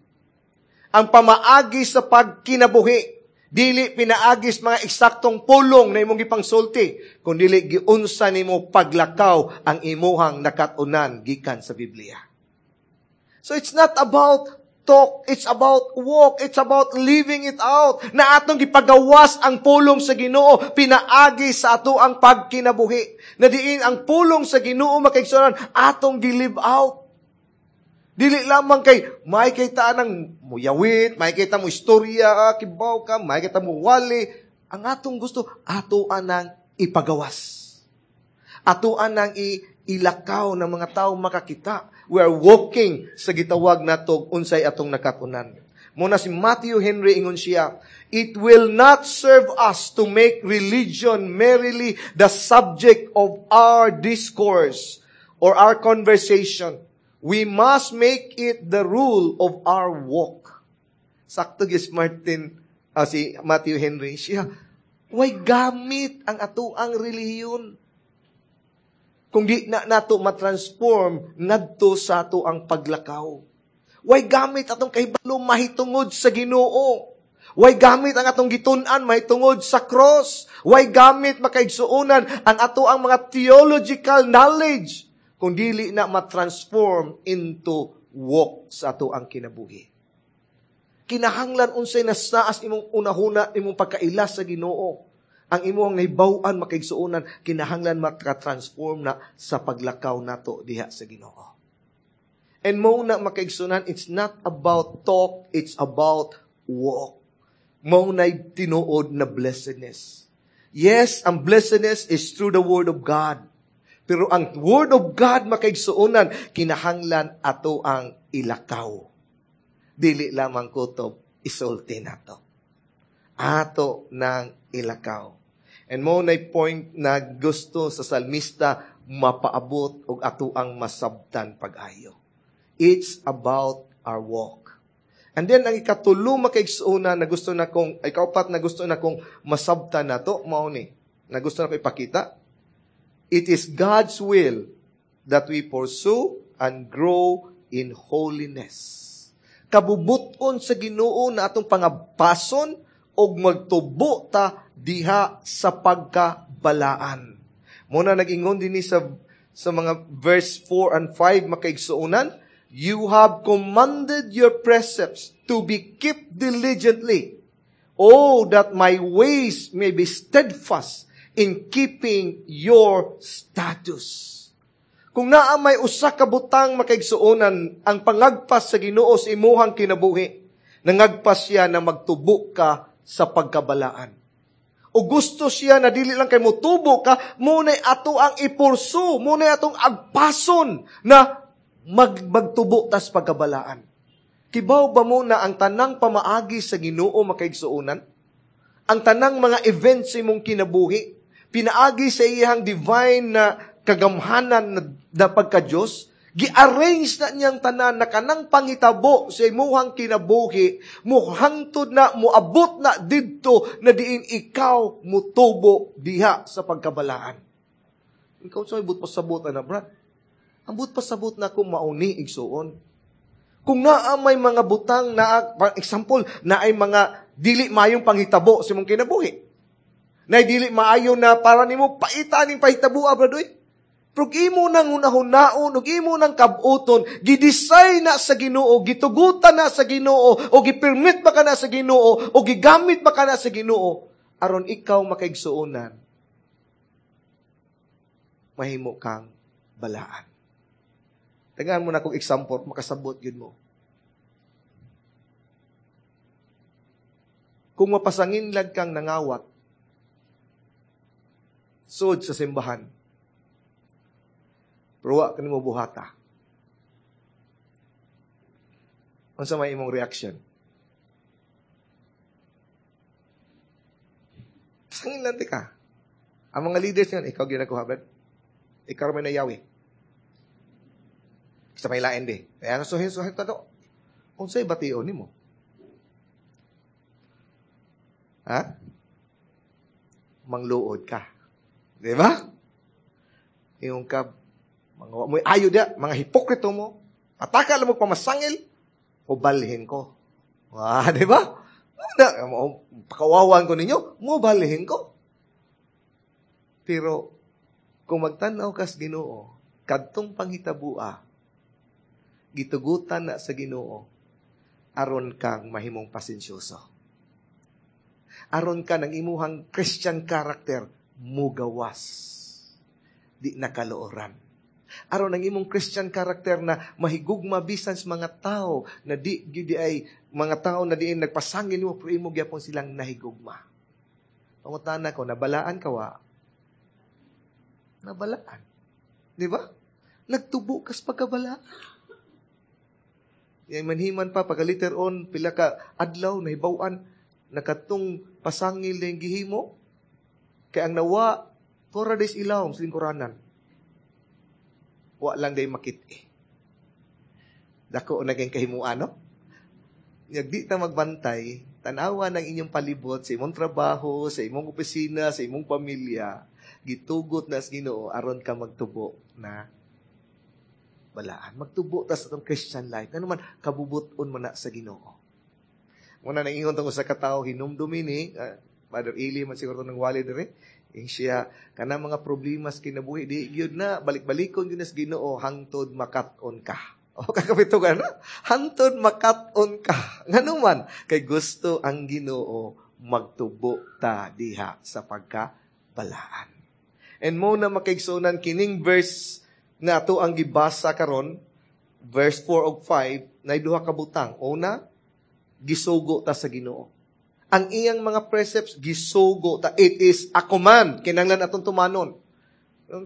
Ang pamaagi sa pagkinabuhi, dili pinaagis mga eksaktong pulong na imong gipangsulti, kun dili giunsa nimo paglakaw ang imuhang nakat-unan gikan sa Biblia. So it's not about talk, it's about walk, it's about living it out. Na atong gipagawas ang pulong sa Ginoo, pinaagi sa ato ang pagkinabuhi. Na diin ang pulong sa Ginoo, makaigsuonan, atong gi-live out. Dili lamang kay may kita ng muyawit, may kita mo istorya, kibaw ka, may kita mo wali. Ang atong gusto, ato anang ipagawas. Ato anang ilakaw ng mga tao makakita. We are walking sa gitawag nato unsay atong nakatunan. Muna si Matthew Henry, ingon siya, "It will not serve us to make religion merely the subject of our discourse or our conversation. We must make it the rule of our walk." Sakto gis si Matthew Henry siya, way gamit ang ato ang relihiyon kung di na nato matransform ngadto sa ato ang paglakaw. Way gamit atong kahibalo mahitungod sa Ginoo. Way gamit ang atong gitun-an mahitungod sa cross. Way gamit, makaigsuonan, ang ato ang mga theological knowledge kung dili na matransform into walk sa ato ang kinabuhi. Kinahanglan unsay nasaas imong unahuna, imong pagkaila sa Ginoo. Ang imong nahibaw-an, makaigsuonan, kinahanglan maka-transform na sa paglakaw nato diha sa Ginoo. And mo na, makaigsuonan, it's not about talk, it's about walk. Mo na tinuod na blessedness. Yes, ang blessedness is through the Word of God. Pero ang Word of God, makaigsuonan, kinahanglan ato ang ilakaw. Dili lamang kutob isulti nato. Ato nang ilakaw. And mo na point na gusto sa salmista mapaabot og ato ang masabtan pag-ayo. It's about our walk. And then, ang ikatulo, makaigsuonan, na gusto na kong, ikaupat na gusto na kong masabtan nato, mao ni, na gusto na ko ipakita. It is God's will that we pursue and grow in holiness. Kabubuton sa Ginoo na atong pangapason og magtubo ta diha sa pagkabalaan. Muna nag-ingon dinhi sa mga verse 4 and 5, makaigsuonan, "You have commanded your precepts to be kept diligently. Oh, that my ways may be steadfast in keeping your statutes." Kung naa may usa ka butang, makaigsuonan, ang pangagpas sa Ginoo sa imuhang kinabuhi, nangagpas siya na magtubo ka sa pagkabalaan. O gusto siya na dili lang kay motubo ka, muna'y ato ang i-pursue, muna'y atong agpason na magtubo tas pagkabalaan. Kibaw ba mo na ang tanang pamaagi sa Ginoo, makaigsuonan? Ang tanang mga events sa imong kinabuhi, pinaagi sa iyang divine na kagamhanan na pagka-Diyos, gi-arrange na niyang tanan na kanang pangitabo sa imuhang kinabuhi, muhangtod na, muabot na didto na diin ikaw mutubo diha sa pagkabalaan. Ikaw sa but pasabot na, Brad. Ang but pasabot na kung mauni, igsuon. Kung naa may mga butang na, example, na ay mga dili mayong panghitabo sa imong kinabuhi. Na dili maayo na para nimo paita ning pahitabo, brad, oy. Pero imo nang hunahunaon, ug imo nang kabuton, gidesign na sa Ginoo, gitugutan na sa Ginoo, o gipermit ba ka na sa Ginoo, o gigamit ba ka na sa Ginoo, aron ikaw, makaigsuonan, mahimo kang balaan. Tagaan mo na kong example, makasabot yun mo. Kung mapasanginlag kang nangawat, sud sa simbahan, pero wa ka nimo buhata. Unsa may imong reaction? Pasangin ka. Ang mga leaders nga, ikaw ginakuha, Brad. Ikaw may nayawi. Sa may lain di. Kaya suhin, suhin tato. Unsay bation nimo? Ha? Mangluod ka. Di ba? Yung ka, mga mo ayo dia, mga hipokrito mo, ataka lang mo pamasangil, o balhin ko. Ah, di ba? Pakawawan ko ninyo, mo balhin ko. Pero, kung magtanaw kas Ginoo, kadtong panghitabua, gitugutan na sa Ginoo, Aron kang mahimong pasensyoso. Aron ka ng imuhang Christian character mugawas. Di nakalooran. Aron ang imong Christian character na mahigugma bisan sa mga tao na di gyud ay mga tao na diin nagpasangil nimo, pero imo gyapon silang nahigugma. Pangutana ko, nabalaan ka wa? Nabalaan. Di ba? Nagtubo kas pagkabalaan. Yan manhiman pa, pagka later on, pila ka adlaw, nahibawan, nakatong pasangil na yung gihimo. Kaya ang nawa, tora des ilaw, sa lingkuranan. Wa lang day makit eh. Dako naging kahimuan, no? Di ta magbantay, tanawa ng inyong palibot sa imong trabaho, sa imong opisina, sa imong pamilya, gitugot na sa Ginoo aron ka magtubo na balaan. Magtubo ta sa atong Christian life. Ano man, kabubuton mo na sa Ginoo. Muna nang ingon tungkol sa katao, hinumdumi ni, Father Eli man siguro ng wali dire, ing siya, kana mga problema sa kinabuhi, di gyud na, balik-balikon gyud na sa Ginoo, hangtod makat-on ka. O, kakapito ka na? Hangtod makat-on ka. Ngano man, kay gusto ang Ginoo magtubo ta diha sa pagkabalaan. And mo na makaigsunan kining verse na ato ang gibasa karon, verse 4 ug 5, na duha ka butang. Una, gisugo ta sa Ginoo. Ang iyang mga precepts, gisugo ta. It is a command. Kinahanglan atong tumanon.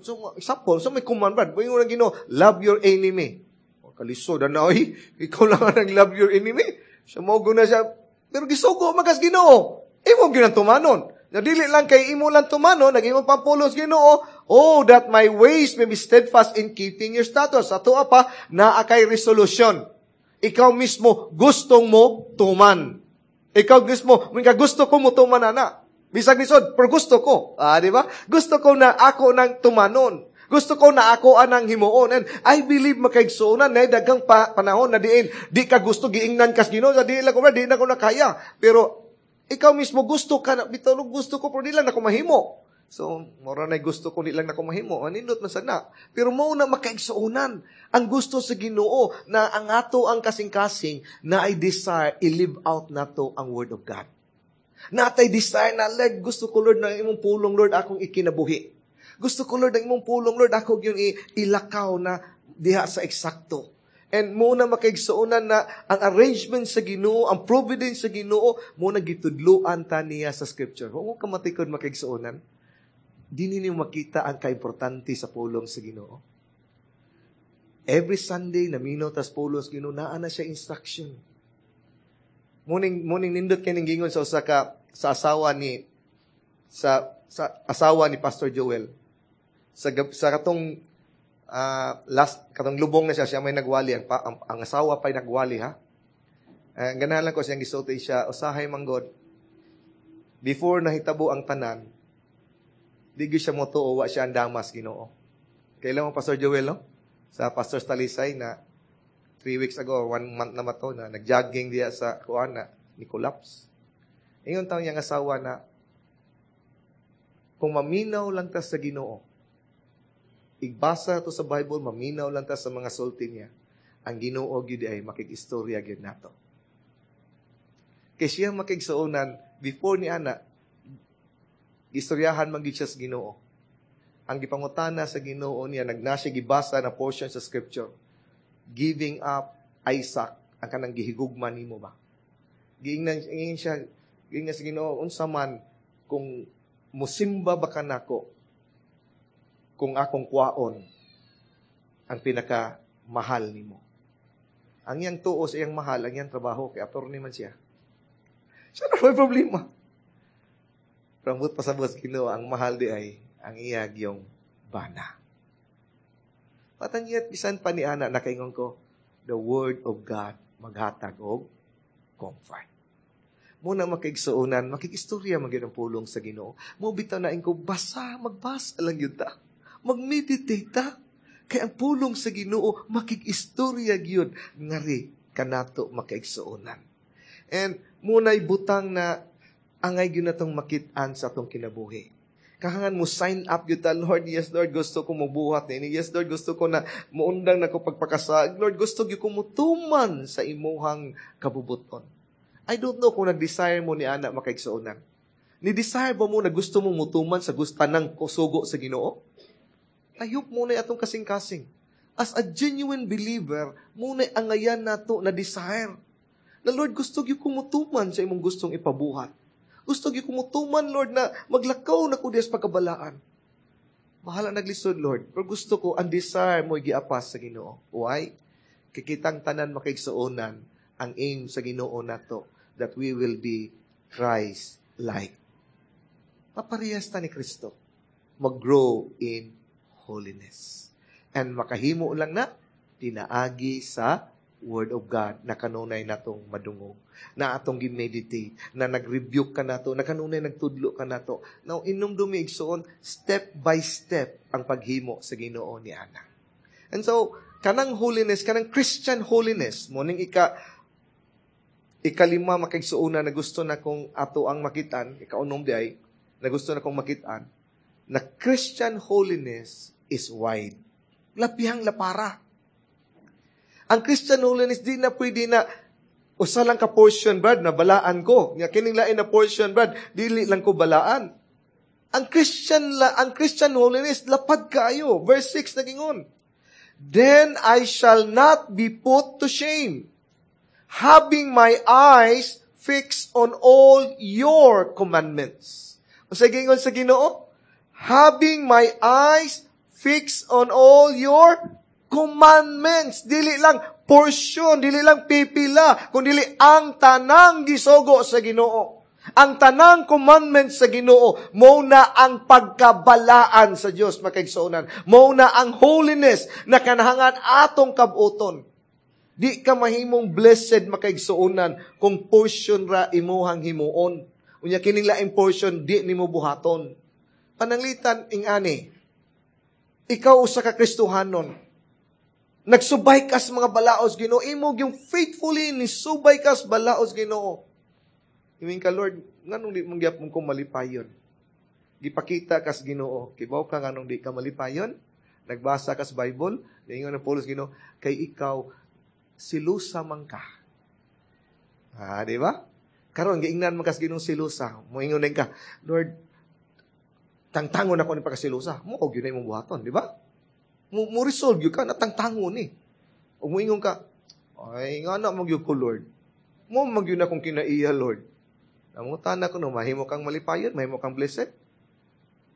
So, example, so may command, Brad. Ingon ang Ginoo, "Love your enemy." O, kalisod na, oy. Ikaw lang ang love your enemy. So, mo na siya. Pero gisugo magas Ginoo. Imo gyud ang tumanon. Na dili lang kay imo lang tumanon, nag-imo pampulos Ginoo, "Oh, that my ways may be steadfast in keeping your statutes." Ato pa, naa kay resolution. Ikaw mismo, gustong mo tuman. Ikaw mismo, ka gusto ko mo tuman ana. Bisag lisod, pero gusto ko. Ah, di ba? Gusto ko na ako nang tumanon. Gusto ko na ako anang himuon. And I believe, makaigsuonan na daghang panahon na diin di ka gusto, giingnan kas Ginoo, di lang ko, di na ko nakaya. Pero ikaw mismo gusto ka na bitaw, gusto ko pero di lang nako mahimo. So, mora na gusto ko, di lang nako mahimo. Anindot man sana. Pero mo na makaigsuonan ang gusto sa Ginoo na ang ato ang kasing-kasing na ay desire i-live out nato ang word of God. Natay desire na, Lord, gusto ko, Lord, na imong pulong, Lord, akong ikinabuhi. Gusto ko, Lord, ang imong pulong, Lord, ako yung ilakaw na diha sa eksakto. And mo na makaigsuonan na ang arrangement sa Ginoo, ang providence sa Ginoo, mo na gitudluan ta niya sa scripture. Huwag mo kamatikod, makaigsuonan. Di ninyo makita ang kaimportante sa pulong sa Ginoo. Every Sunday, namino tas pulong sa Ginoo, naa na siya instruction. Muning nindot kining gingon sa usa ka sa asawa ni sa sa asawa ni Pastor Joel. Sa katong last katong lubong na siya, siya may nagwali, ang asawa pa'y nagwali ha. Ganahan lang ko siyang gisulti siya, usahay manggod before nahitabo ang tanan, di gyud siya motuo wa siya ang damas Ginoo. Kailan mo Pastor Joel, no? Sa Pastor Talisay na 3 weeks ago, one month na mato na nagjogging diya sa kuan na ni collapse. Ingon taon niyang asawa na kung maminaw lang ta sa Ginoo, igbasa to sa Bible, maminaw lang ta sa mga sulti niya, ang Ginoo gyud ay makig-istorya gyud nato. Kay siya makigsuonan, before ni ana, istoryahan man gyud siya sa Ginoo. Ang gipangutana sa Ginoo niya, nagnasya gibasa na portion sa scripture, giving up Isaac, ang kanang gihigugma nimo ba? Giingnan ingin siya, giingnan sa Ginoo, unsa man kung musimba ba ka nako kung akong kwaon ang pinaka mahal nimo? Ang iyang tuo sa iyang mahal, ang iyang trabaho, kay attorney man siya. Siya na may problema. Pero ang pasabot sa Ginoo, ang mahal di ay ang iyag yung bana. Patanyat bisan pa ni ana nakaingon ko, the word of God maghatag og comfort. Muna makigsuonan, makikistorya man gyud ang pulong sa Ginoo. Mo bitaw na ko basa, magbasa lang yun ta. Mag-meditate ta. Kay ang pulong sa Ginoo makig-istorya gyud ngari kanato, makaigsuonan. And muna'y butang na angay gyud natong makit-an sa atong kinabuhi. Kahangan mo sign up gyud ta, "Lord, yes Lord, gusto ko mobuhat niini. Yes Lord, gusto ko na muundang na ko pagpakasag. Lord, gusto gyud ko mutuman sa imuhang kabubuton." I don't know kung nag-desire mo ni ana, makaigsuonan. Ni desire ba mo na gusto mo mutuman sa gusto ng kusugo sa Ginoo? I hope mao na atong kasing-kasing. As a genuine believer, mao na angayan nato na desire. Na "Lord, gusto gyud ko mutuman sa imong gustong ipabuhat. Gusto gyud ko mutuman, Lord, na maglakaw na ko diya sa pagkabalaan. Bahala naglisod, Lord. Pero gusto ko, ang desire mo giapas sa Ginoo." Why? Kikitang tanan, makaigsuonan, ang aim sa Ginoo nato that we will be Christ-like. Paparehas ta ni Kristo. Mag-grow in holiness. And makahimo lang na tinaagi sa Word of God na kanunay natong madungog, na atong gi-meditate, na nag-rebuke ka nato, na kanunay nagtudlo ka nato. Now, inumdumi, igsoon, step by step ang paghimo sa Ginoo ni ana. And so, kanang holiness, kanang Christian holiness, mao ning ikalima, makaigsuonan, na gusto na kong ato ang makitan, ikaunom diay, na gusto na kong makitan, na Christian holiness is wide. Lapihang lapara. Ang Christian holiness, di na pwede na usa lang ka portion, Brad, na balaan ko. Nga kining lain na portion, Brad, dili lang ko balaan. Ang Christian holiness lapad kaayo. Verse 6 nagingon, "Then I shall not be put to shame, having my eyes fixed on all your commandments." Unsa gingon sa Ginoo? "Having my eyes fixed on all your commandments." Dili lang portion, dili lang pipila, kun dili ang tanang gisugo sa Ginoo. Ang tanang commandments sa Ginoo, mao na ang pagkabalaan sa Dios, makaigsuonan. Mao na ang holiness na kanahangan atong kabuton. Di ka mahimong blessed, makaigsuonan, kung portion ra imuhang himuon. Unya kining laing portion di nimo buhaton. Pananglitan ingani, ikaw usa ka Kristohanon. Nagsubay ka sa mga balaos Ginoo, imo yung faithfully ni subay ka sa balaos Ginoo. Ingon ka, "Lord, nganong di man gyapon ko malipayon?" Gipakita ka sa Ginoo, kibaw ka nganong di ka malipayon? Nagbasa ka sa Bible, niingon ang pulong Ginoo, kay ikaw silusa man ka. Ah, di ba? Karon giingnan man ka sa Ginoo silusa. Moingon din ka, "Lord, tangtangon ako ni pagkasilusa." Mao gyud na imong buhaton, di ba? Mo resolve gyud ka na tangtangon ni. Ug moingon ka, "Ay, nga na magyud ko, Lord. Mao man gyud akong kinaiya, Lord." Nangutana ko no, mahimo kang malipayon, mahimo kang blessed?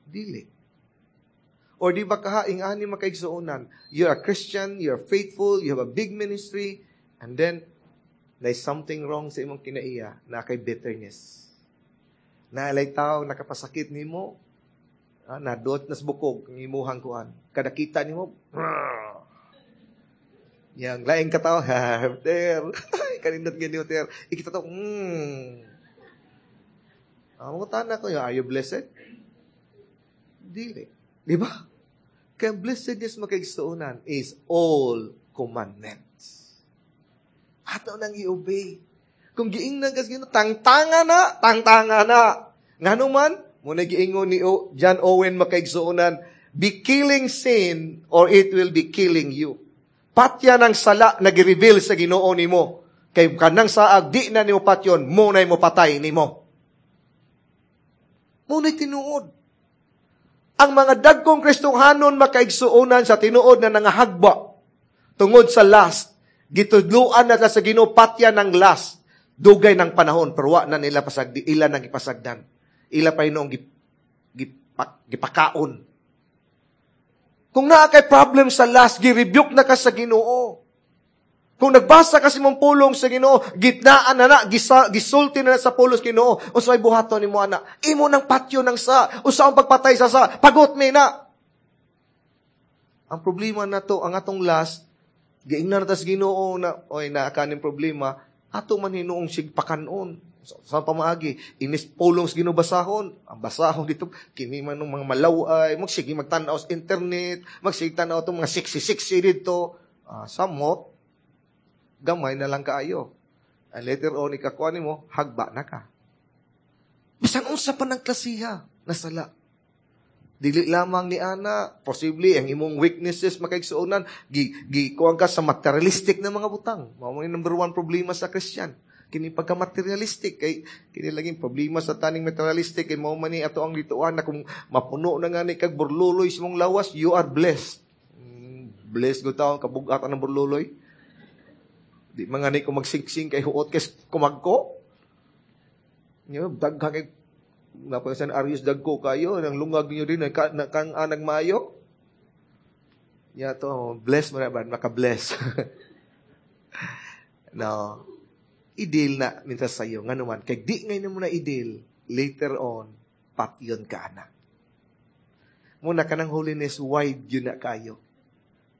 Dili. Or di ba kaha, ingani, makaigsuonan, you're a Christian, you're faithful, you have a big ministry, and then, there's something wrong sa imong kinaiya, na kay bitterness. Naalay tao, nakapasakit nimo, nadot nas bukog, ang imuhang kuan. Kada kita nimo, yang laing katao, "Ha, ter, kanindot ganyo, ter." Ikita to. Ang mangutana ko, are you blessed? Dili. Di ba? Kaya blessedness, makaigsuonan, is all commandments. Ato nang i-obey. Kung giingnan kas Ginoo, tangtanga na, tangtanga na. Ngano man, mao na giingon ni John Owen, makaigsuonan, "Be killing sin or it will be killing you." Patya ng sala na gi-reveal sa Ginoo nimo. Kay kanang saag di na nimo patyon, mao na mo patay nimo. Mao na tinuod. Ang mga dagkong Kristohanon, makaigsuonan, sa tinuod na nangahagba tungod sa lust, gitudluan na sa Ginoo patya ng lust, dugay ng panahon, pero wa na nila pasagdi, ila nang ipasagdan. Ila pa hinuong gipakaon. Kung naa kay problem sa lust, gi-rebuke na ka sa Ginoo. Kung nagbasa ka sa imong pulong sa Ginoo, gitnaan na na, gisulti na na sa pulong sa Ginoo, unsay buhaton nimo ana? Imo nang patyo ng sa, usa ang pagpatay sa sa, pagot mi na. Ang problema na to, ang atong lust, giingnan na ta sa Ginoo na, "Oy, naa kaning problema," ato man hinuong sigpakanon. Sa pamaagi, inis pulong sa Ginoo basahon, ang basahon dito, kini man ng mga malaway, magsige magtan-aw sa internet, magsige tan-aw itong mga sexy-sexy dito, samot, gamay na lang kaayo. And later on, ikakuha nimo, hagba na ka. Bisan unsa pa ng klasiha, nasala. Dili lamang ni ana, posible ang imong weaknesses, makaigsuonan, gi gi kuan ka sa materialistic na mga butang. Mao man number one problema sa Christian. Kini pagka materialistic, kay kini laging problema sa taning materialistic, kay mao man ni ato ang lituan na kung mapuno na nga ni kag burluloy sa mong lawas, you are blessed. Blessed gud taon kabugat ang burluloy. Di man nga ni ko magsingsing kay huot kay kumagko. Nyo, daghan kay napansan Arius, dagko kayo nang lungag niyo din na, na kang anag mayo. Ya to, bless mo na ba maka-bless. No. I-deal na mintas sayo nganuman kay di ngayon mo na i-deal, later on patyon ka na. Muna kanang holiness, wide yun na kayo.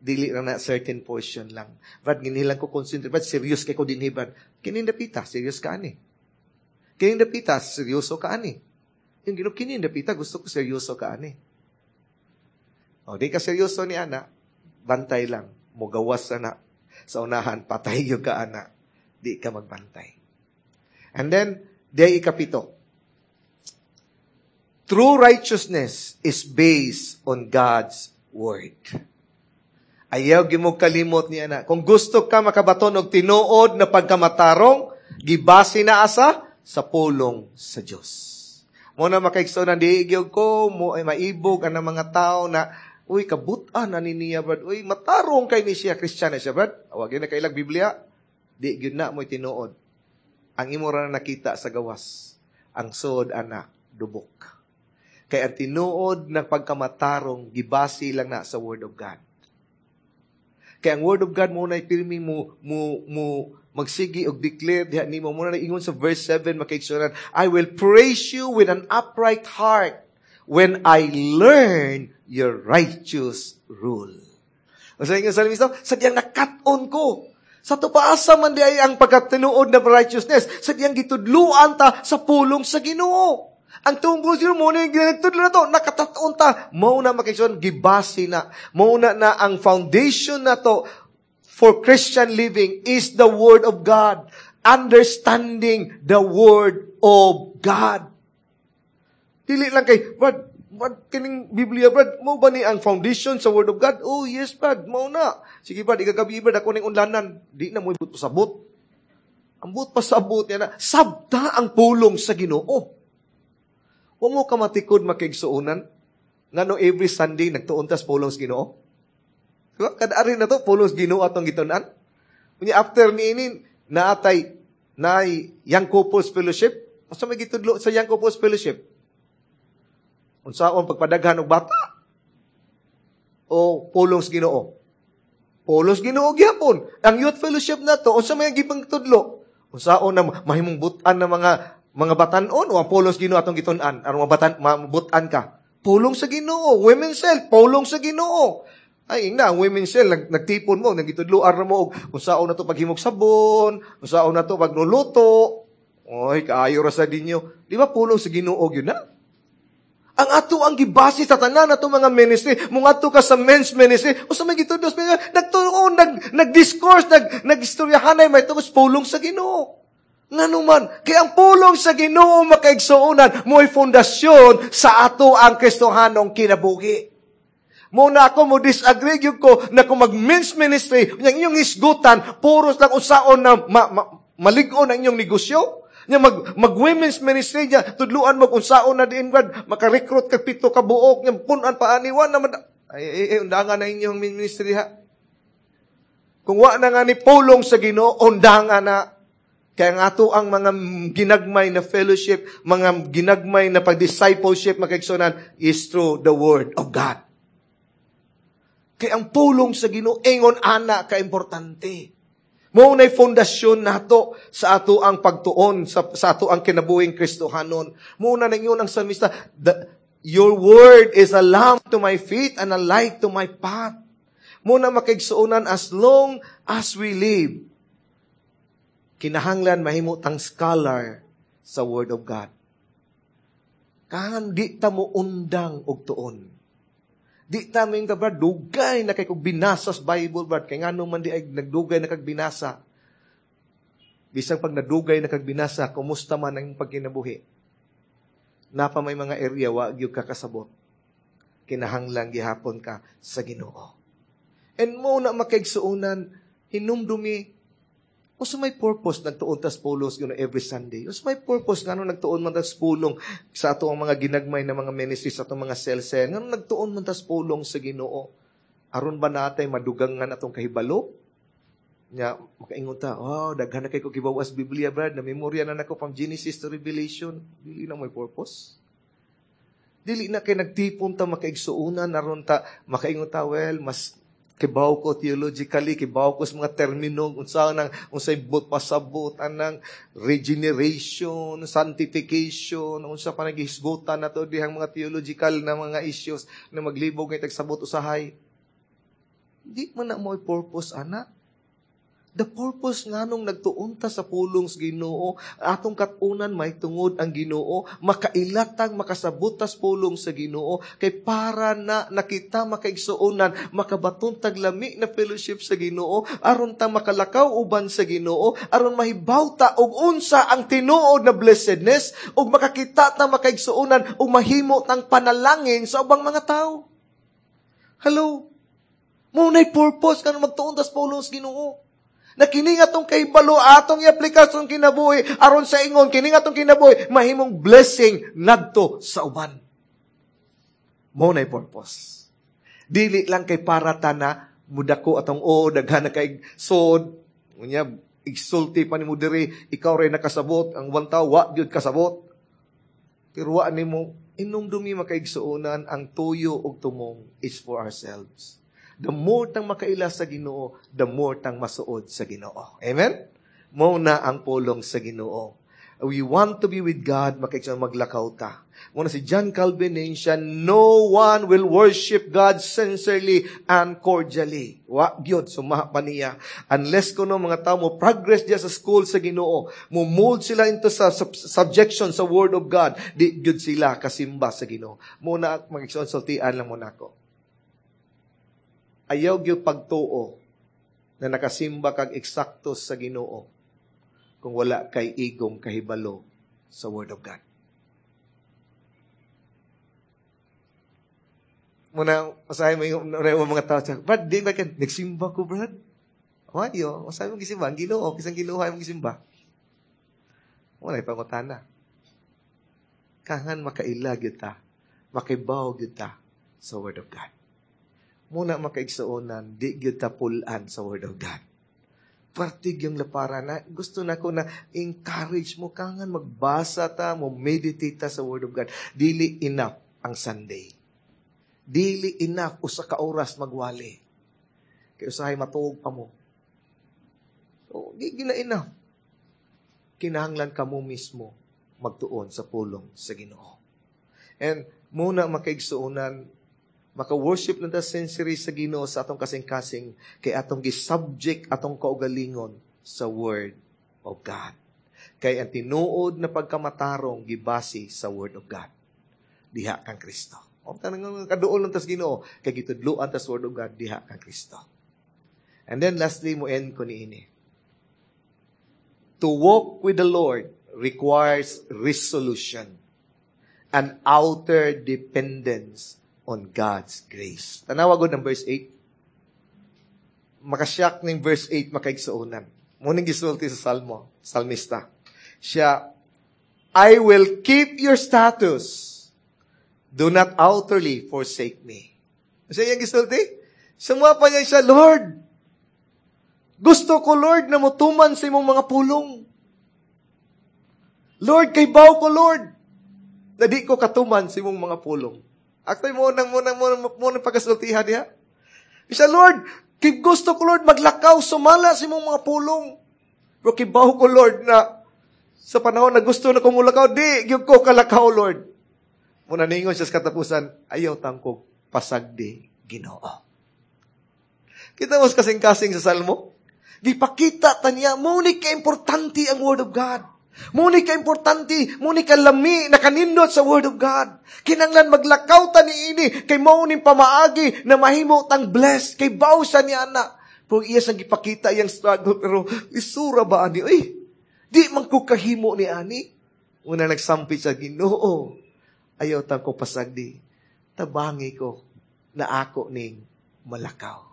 Dili na na certain portion lang. Brad, ginilang ko concentrate. Brad, serious kay ko dinhi, Brad. Kining dapita, serious ka ani. Kining dapita, seryoso ka ani. Yung Ginoo, kining dapita, gusto ko seryoso ka ani. O, di ka seryoso ni ana, bantay lang. Mugawas na sa unahan, patay yung ka ana. Di ka magbantay. And then, day ikapito. True righteousness is based on God's Word. Ayaw gimo kalimot ni ana. Kung gusto ka makabaton og tinuod na pagkamatarong, gibase na asa sa pulong sa Dios. Mo na, makaigsoon, di gyud ko mo ay maibog ang mga tao na, "Uy, kabutan na ni niya, brad. Uy, matarong kay ni siya, Christian na siya, brad." Wa gyud na kailag Biblia. Di gyud na mo'y tinuod. Ang imo ra na nakita sa gawas. Ang suod ana, dubok. Kay ang tinuod ng pagkamatarong gibase lang na sa Word of God. Kay ang Word of God mo na pirmi mo magsigi og declare diha nimo. Mo na ingon sa verse 7, makaigsuonan, "I will praise you with an upright heart when I learn your righteous rule." O sa ingon sa salmista, sa diyang nakat-on ko. Sa tupaasa man di ay ang pagkatinuod na righteousness, sa diyang gitudluan ta sa pulong sa Ginoo. Ang tungkol sino mo na yung ginagtudlo na to, nakataon ta. Mao na, makaigsoon, gibase na. Mao na na ang foundation na to for Christian living is the Word of God. Understanding the Word of God. Dili lang kay, "Brad, Brad, kining Biblia, Brad, mo ba ni ang foundation sa Word of God?" "Oh, yes, Brad, mao na." "Sige, Brad, igagabi, Brad, ako ning unlanan." Di na mo ibut pasabot. Ang buot pasabot niya na, sabta ang pulong sa Ginoo. Wa mo kamatikod, makaigsuonan, ngano every Sunday nagtuon tas pulong sa Ginoo. Diba? Kada ari na to, pulong sa Ginoo atong gitun-an. Unya after niini, naatay naay Young Couples Fellowship. Unsa may gitudlo sa Young Couples Fellowship? Unsaon pagpadaghan og bata? O pulong sa Ginoo? Pulong sa Ginoo gyapon. Ang Youth Fellowship na to, unsa may gipangtudlo? Unsaon na mahimong butan ng mga batanon o ang pulong sa Ginoo atong gitun-an aron mabatan mabutan ka? Pulong sa Ginoo. Women's Cell, pulong sa Ginoo. Ay, ingna, ang women's cell, nagtipon mo, nagitudloan ra mo, og kung saon na to paghimog sabon, kung saon na to pagluluto. Oy, kaayo ra sa dinyo. Di ba pulong sa Ginoo yun na? Ang ato ang gibase sa tanan ato mga ministry, mung adto ka sa men's ministry, o sa mga gitudlo, nagtuon, nag-discourse, nag-istoryahanay, may tungos pulong sa Ginoo. Nganuman, kaya ang pulong sa Ginoo, makaigsuonan, mo'y pundasyon sa ato ang Kristohanong kinabuhi. Muna ako mo disagree gyud ko na kung mag-men's ministry, yung inyong hisgutan, puros lang usaon na malig-on ang inyong negosyo. Nya mag women's ministry niya, tudluan mag unsaon na diin, Brad, maka-recruit kag 7 ka buok, nya punan pa ani wa naman ay, ay, ay, undangan na inyong ministry ha. Kung wa na nga ni pulong sa Ginoo, undangan na. Kaya nga ato ang mga ginagmay na fellowship, mga ginagmay na pag-discipleship, makaigsuonan, is through the Word of God. Kaya ang pulong sa Ginoo ingon ana ka importante. Mao na'y pundasyon nato sa ato ang pagtuon, sa ato ang kinabuhing Kristohanon. Mao na ningon ang salmista, "Your word is a lamp to my feet and a light to my path." Mao na, makaigsuonan, as long as we live, kinahanglan mahimo tang scholar sa Word of God. Kahan di ta mo undang og tuon. Di ta mo ka, "Brad, dugay na kay kog binasa sa Bible, Brad." Kay ngano man di ay nagdugay na kag binasa? Bisang pag nadugay na kag binasa, kumusta man ang pagkinabuhi? Napa may mga area wa gyud ka kasabot. Kinahanglan gihapon ka sa Ginoo. And mo na makaigsuonan, hinumdumi, unsa may purpose nagtuon tas pulong Ginoo every Sunday? Unsa may purpose ngano nagtuon man tas pulong sa ato ang mga ginagmay na mga ministry, sa atong mga cell-cell? Ngano nagtuon man tas pulong sa Ginoo? Aron ba natay madugangan atong kahibalo? Nya makaingon ta, "Oh, daghan na kay ko kibawas Biblia, Brad, na memorya na nako from Genesis to Revelation." Dili na may purpose. Dili na kay nagtipon ta makaigsuonan aron ta makaingon ta, "Well, mas kibaw ko theologically, kibaw ko sa mga termino, unsa nang unsay but pasabot anang regeneration, sanctification, unsa pa naghisgutan na to dihang mga theological na mga issues na maglibog ngay tagsabot usahay." Di man na mo purpose ana. The purpose nganong nagtuon ta sa pulong sa Ginoo, atong katunan may tungod ang Ginoo, makailatang makasabot tas pulong sa Ginoo, kay para na nakita makaigsuonan, makabaton tag lami na fellowship sa Ginoo, aron ta makalakaw uban sa Ginoo, aron mahibaw ta og unsa ang tinuod na blessedness, ug makakita ta makaigsuonan ug mahimo tang panalangin sa ubang mga tawo. Hello? Mo nay purpose kanang magtuon tas pulong sa Ginoo. Na kini nga atong kahibalo, atong i-aplikasyon kinabuhi, aron sa ingon, kini nga atong kinabuhi, mahimong blessing ngadto sa uban. Mo nay purpose. Dili lang kay para ta na mudako atong o, daghan na kay sod, unya, igsulti pa nimo diri, ikaw ray nakasabot, ang one tao, wa gyud kasabot. Pero wa nimo, inumdumi makaigsuonan, ang tuyo og tumong is for ourselves. The more tang makaila sa Ginoo, the more tang masuod sa Ginoo. Amen? Mo na ang pulong sa Ginoo. We want to be with God, makaigsuonan maglakaw ta. Muna si John Calvin siya, "No one will worship God sincerely and cordially." Wa gyud sumaha pa niya. Unless kuno mga tao mo progress diya sa school sa Ginoo, mo mold sila into sa subjection sa Word of God, di gyud sila kasimba sa Ginoo. Muna magigsuon, sultian lang muna ako. Ayaw gyud pagtuo na nakasimba kag eksakto sa Ginoo kung wala kay igong kahibalo sa Word of God. Muna, masahe mo yung mga tao, "Brad, di ba ka, nagsimba ko, Brad?" Wayo, masahe mo gisimba, ang Ginoo, kisang Ginoo ay mong gisimba. Wala ipangutana. Kangan makaila gyud ta, makibaw gyud ta sa Word of God. Muna makaigsuonan, di gyud ta pulan sa Word of God. Partig yung laparan na gusto na ko na encourage mo kangan magbasa ta, mo meditate ta sa Word of God. Dili enough ang Sunday. Dili enough usa ka oras magwali. Kay usahay matuog pa mo. So, di gina enough. Kinahanglan ka mo mismo magtuon sa pulong sa Ginoo. And muna makaigsuonan, maka-worship na ta sincerely sa Ginoo sa atong kasing-kasing kay atong gi-subject atong kaugalingon sa Word of God. Kay ang tinuod na pagkamatarong gibase sa Word of God. Diha kang Kristo. O tanang kaduol lang tas Ginoo kay gitudloan tas Word of God diha kang Kristo. And then lastly mo end ko niini. To walk with the Lord requires resolution and outer dependence on God's grace. Tanawa gud ang verse 8. Makasyak ning verse 8 makaigsuonan. Muning gisulti sa Salmo, salmista. Siya, "I will keep your status. Do not utterly forsake me." Siya iyang gisulti? Sumuha pa niya siya, "Lord, gusto ko, Lord, na mutuman sa imong mga pulong. Lord, kay baw ko, Lord, na di ko katuman sa imong mga pulong." Actually, mo nang pagkasultihan niya. Siya, "Lord, kay gusto ko, Lord, maglakaw, sumala sa imong mga pulong. Pero kibaw ko, Lord, na sa panahon na gusto na kong mulakaw, di, gyud ko kalakaw, Lord." Muna ningon siya sa katapusan, "Ayaw tangkog, pasagdi, Ginoo." Kita mo sa kasing-kasing sa Salmo? Gipakita ta niya, muni ka-importante ang Word of God. Muni ka-importante, muni ka-lami, nakanindot sa Word of God. Kinanglan maglakaw ta niini, kay mao ning pamaagi na mahimo tang blessed, kay baw siya ni ana. Pero iya siyang gipakita iyang struggle, pero isura ba ani? Uy, di man ko kahimo ni ani. Una nagsampit sa Ginoo, ayaw tang ko pasagdi. Tabangi ko na ako ning malakaw.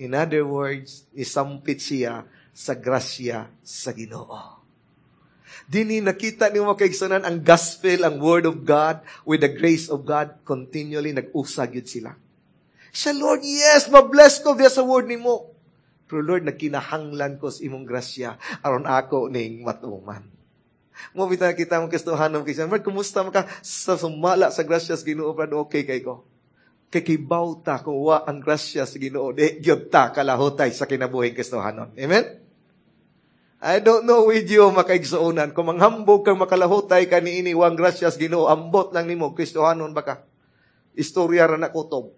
In other words, isampit siya sa grasya sa Ginoo. Dini nakita ni mga kaigsunan ang gospel, ang word of God, with the grace of God, continually nag-usag yun sila. Siya, "Lord, yes, ma-bless ko via sa word nimo. Pero Lord, nagkinahanglan ko sa imong grasya aron ako ning matuman." Mo bitaw kita mo Kristohanon kay, "Lord, kumusta man ka sa sumala sa grasya sa Ginoo?" "Brad, okay kay ko." Kay kibaw ta kung wa ang grasya sa Ginoo, di gyud ta kalahutay sa kinabuhing Kristohanon. Amen? I don't know with you, makaigsuonan. Kung manghambog kang makalahutay ka niini wang grasya sa Ginoo, ambot lang nimo, Kristohanon ba ka? Istorya ra na kutob.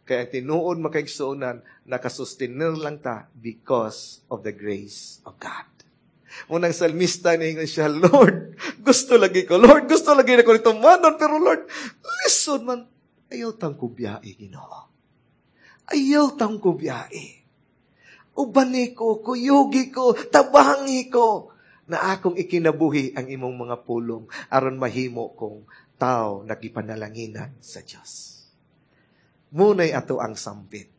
Kaya ang tinuod, makaigsuonan, nakasustinir lang ta because of the grace of God. Munang salmista, niingon siya, "Lord, gusto lagi ko. Lord, gusto lagi na ko nito manon, pero Lord, lisod man. Ayaw tang kubyae, Ginoo. Ayaw tang kubyae. Ubani ko, kuyugi ko, tabangi ko, na akong ikinabuhi ang imong mga pulong aron mahimo kong tao nagipanalanginan sa Dios." Munay ato ang sampit.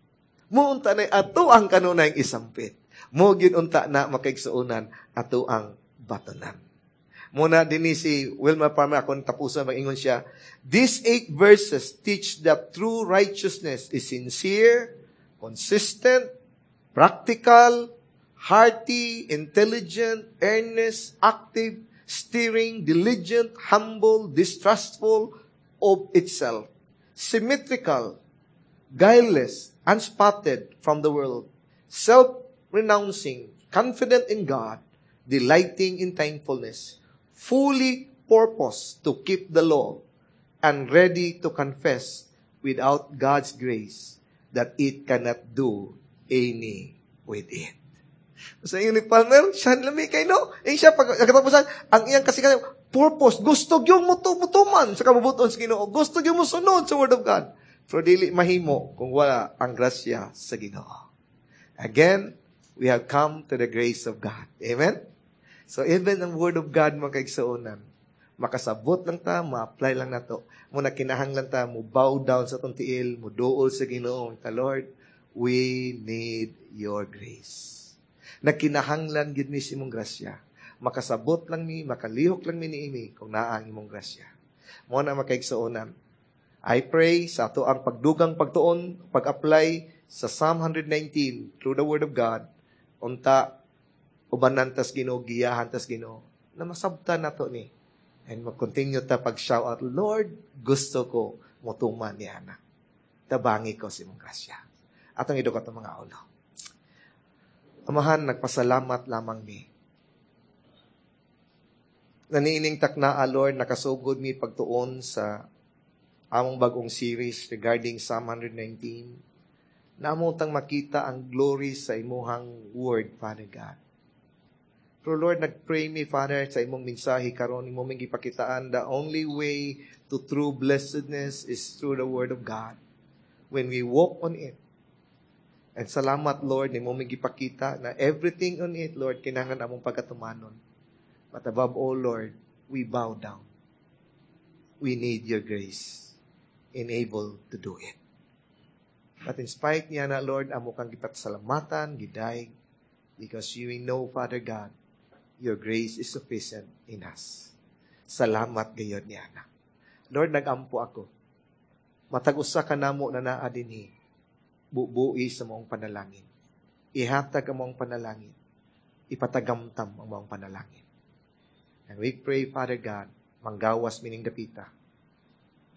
Muunta na ato ang kanunay isampit. Mo gyud unta na, makaigsuonan, ato ang batonan. Muna dinhi si Wilma Palmer, akong tapusan, mag-ingon siya, "These eight verses teach that true righteousness is sincere, consistent, practical, hearty, intelligent, earnest, active, stirring, diligent, humble, distrustful of itself, symmetrical, guileless, unspotted from the world, self-renouncing, confident in God, delighting in thankfulness, fully purposed to keep the law, and ready to confess without God's grace that it cannot do any with it." Sa inyo ni Palmer, siya lami kay no? Eh siya, pag katapusan, ang iyang kasi purpose, gusto yung mutuman sa kabubuton sa Ginoo. Gusto yung musunod sa Word of God. Pero dili mahimo kung wala ang grasya sa Ginoo. Again, we have come to the grace of God. Amen? So even ang Word of God, mga kaigsuonan, makasabot lang ta, ma-apply lang nato. Muna kinahanglan ta mo bow down sa atong tiil, mo duol sa Ginoo, ta "Lord, we need your grace. Nagkinahanglan gid mi sa imong grasya. Makasabot lang mi, makalihok lang mi niini kung naa ang imong grasya." Mo na, makaigsuonan, I pray sa ato ang pagdugang pagtuon, pag-apply sa Psalm 119 through the Word of God, unta ubanan tas Ginoo, giyahan tas Ginoo, na masabtan nato ni. And mag-continue ta pag-shout out, "Lord, gusto ko motuman ni ana. Tabangi ko sa imong grasya." Atong idukot ang mga ulo. Amahan, nagpasalamat lamang mi. Naniining takna, Lord, nakasugod mi pagtuon sa among bagong series regarding Psalm 119. Namo tang makita ang glory sa imuhang word, Father God. Pero Lord, nag-pray mi, Father, sa imong mensahe karon, imong gipakitaan, the only way to true blessedness is through the Word of God. When we walk on it. And salamat, Lord, nimo gipakita na everything on it, Lord, kinahanglan among pagkatumanon. But above all, Lord, we bow down. We need your grace enable to do it. But in spite niya na, Lord, amo kang gipasalamatan, gidayeg, because you know, Father God, your grace is sufficient in us. Salamat gayon niya na. Lord, nagampo ako. Matag usa ka namo na naa dinhi, bubui sa maong panalangin. Ihatag ang maong panalangin. Ipatagamtam ang maong panalangin. And we pray, Father God, manggawas mining dapita,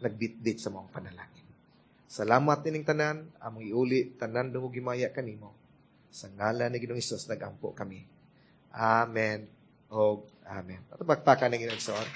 nagbitbit sa maong panalangin. Salamat nining tanan, among iuli tanan dungog himaya kanimo. Sa ngalan ni Ginoong Hesus nagampo kami. Amen. Og amen. Ato pakpakan ng Ginoong.